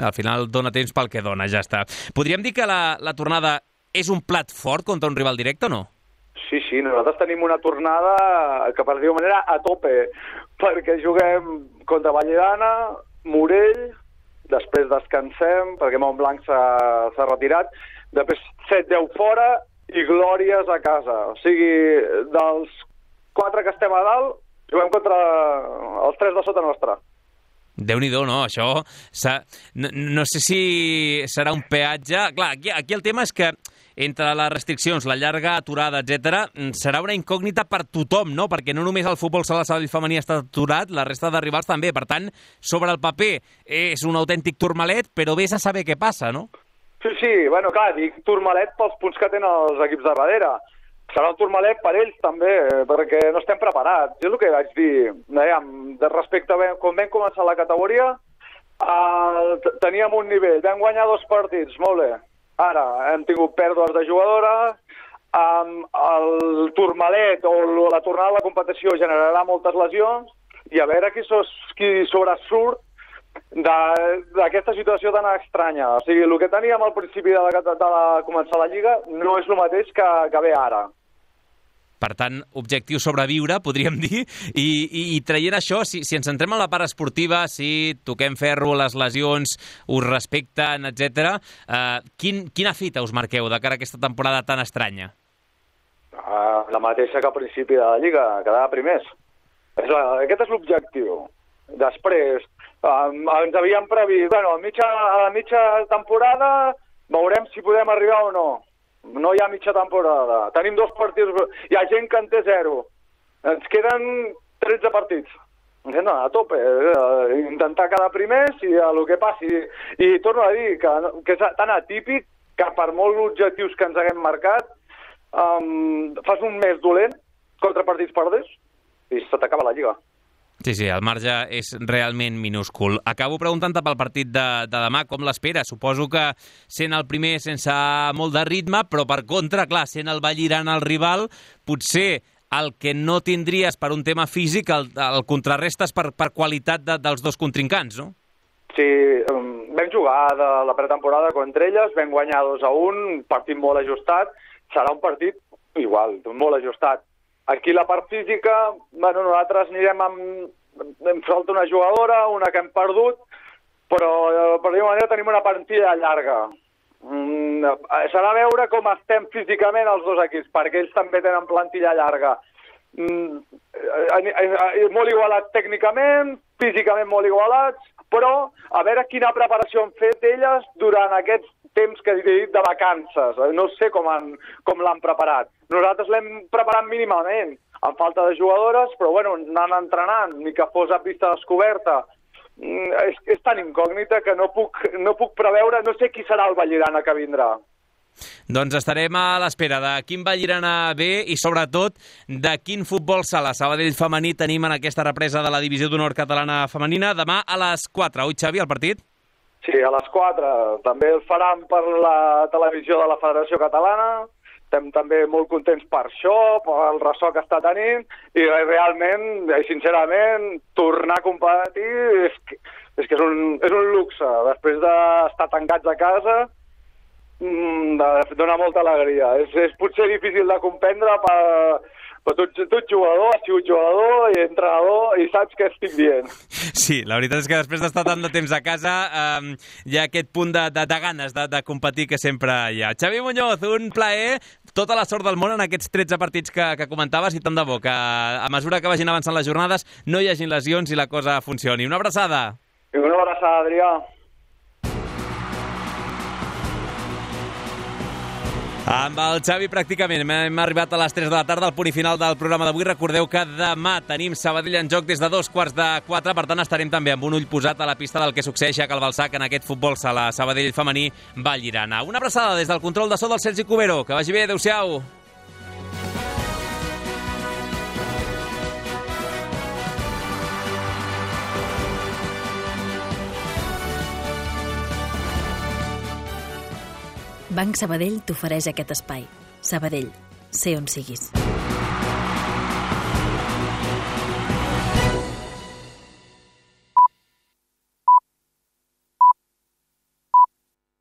Al final dona temps pel que dona, ja està. Podríem dir que la, la tornada és un plat fort contra un rival directe o no? Sí, sí, nosaltres tenim una tornada que, per dir-ho manera, a tope, perquè juguem contra Valledana, Morell, després descansem, perquè Montblanc s'ha retirat, després set deu fora i Glòries a casa. O sigui, dels quatre que estem a dalt, juguem contra els tres de sota nostra. Déu-n'hi-do, no? Això... No, no sé si serà un peatge... Clar, aquí, aquí el tema és que entre les restriccions, la llarga aturada, etcètera, serà una incògnita per tothom, no? Perquè no només el futbol sala Sabadell femení està aturat, la resta de rivals també. Per tant, sobre el paper és un autèntic turmalet, però vés a saber què passa, no? Sí, sí, bueno, clar, dic turmalet pels punts que tenen els equips de darrere. Serà un turmalet per ells també, perquè no estem preparats. És el que vaig dir. Dèiem, de respecte a quan vam començar la categoria, eh, teníem un nivell, vam guanyar dos partits, molt bé. Ara hem tingut pèrdues de jugadores, um, el turmalet o la tornada a la competició generarà moltes lesions i a veure qui, sos, qui sobresurt d'aquesta situació tan estranya. O sigui, el que teníem al principi de, la, de la, començar la Lliga no és el mateix que, que ve ara. Per tant, objectiu sobreviure, podríem dir, i, i, i traient això, si, si ens centrem en la part esportiva, si toquem ferro, les lesions, us respecten, etcètera, eh, quin, quina fita us marqueu de cara a aquesta temporada tan estranya? Uh, la mateixa que al principi de la Lliga, quedar primers. És la, aquest és l'objectiu. Després, um, ens havíem previst, bueno, a, mitja, a la mitja temporada veurem si podem arribar o no. No hi ha mitja temporada. Tenim dos partits. Hi ha gent que en té zero. Ens queden tretze partits. No, a tope. Eh, intentar quedar primers i el que passi. I torno a dir que, que és tan atípic que per molts objectius que ens haguem marcat um, fas un mes dolent contra partits perders i se t'acaba la Lliga. Sí, sí, el marge és realment minúscul. Acabo preguntant-te pel partit de, de demà, com l'espera? Suposo que sent el primer sense molt de ritme, però per contra, clar, sent el Vallirana el rival, potser el que no tindries per un tema físic, el, el contrarrestes per, per qualitat de, dels dos contrincants, no? Sí, vam jugar de la pretemporada contra elles, vam guanyar dos a un, partit molt ajustat, serà un partit igual, molt ajustat. Aquí la part física, bueno, nosaltres anirem amb... Em falta una jugadora, una que hem perdut, però per dir-ho manera tenim una plantilla llarga. Mm, serà veure com estem físicament els dos equips, perquè ells també tenen plantilla llarga. Mm, molt igualats tècnicament, físicament molt igualats, però a veure quina preparació han fet elles durant aquests temps que he dit de vacances. No sé com, han, com l'han preparat. Nosaltres l'hem preparat mínimament, amb falta de jugadores, però bueno, anant entrenant, ni que fos a pista descoberta. És, és tan incògnita que no puc, no puc preveure, no sé qui serà el Vallirana que vindrà. Doncs estarem a l'espera de quin Vallirana ve i sobretot de quin futbol sala Sabadell femení tenim en aquesta represa de la Divisió d'Honor catalana femenina. Demà a les quatre, oi Xavi, el partit? Sí, a les quatre. També el faran per la televisió de la Federació Catalana. Estem també molt contents per això, per el ressò que està tenint, i realment, sincerament, tornar a competir és que és, que és, un, és un luxe. Després d'estar tancats a casa, dona molta alegria. És, és potser difícil de comprendre per... Però tu, tu ets jugador, has sigut jugador i entrenador i saps què estic dient. Sí, la veritat és que després d'estar tant de temps a casa eh, hi ha aquest punt de, de, de ganes de, de competir que sempre hi ha. Xavi Muñoz, un plaer, tota la sort del món en aquests tretze partits que, que comentaves i tant de bo que a mesura que vagin avançant les jornades no hi hagin lesions i la cosa funcioni. Una abraçada. I una abraçada, Adrià. Amb el Xavi pràcticament hem arribat a les tres de la tarda al punt i final del programa d'avui. Recordeu que demà tenim Sabadell en joc des de dos quarts de quatre, per tant estarem també amb un ull posat a la pista del que succeeix a Calvalsac en aquest futbol sala Sabadell femení Vallirana. Una abraçada des del control de so del Sergi Cubero. Que vagi bé, adeu-siau. Banc Sabadell t'ofereix aquest espai. Sabadell, sé on siguis.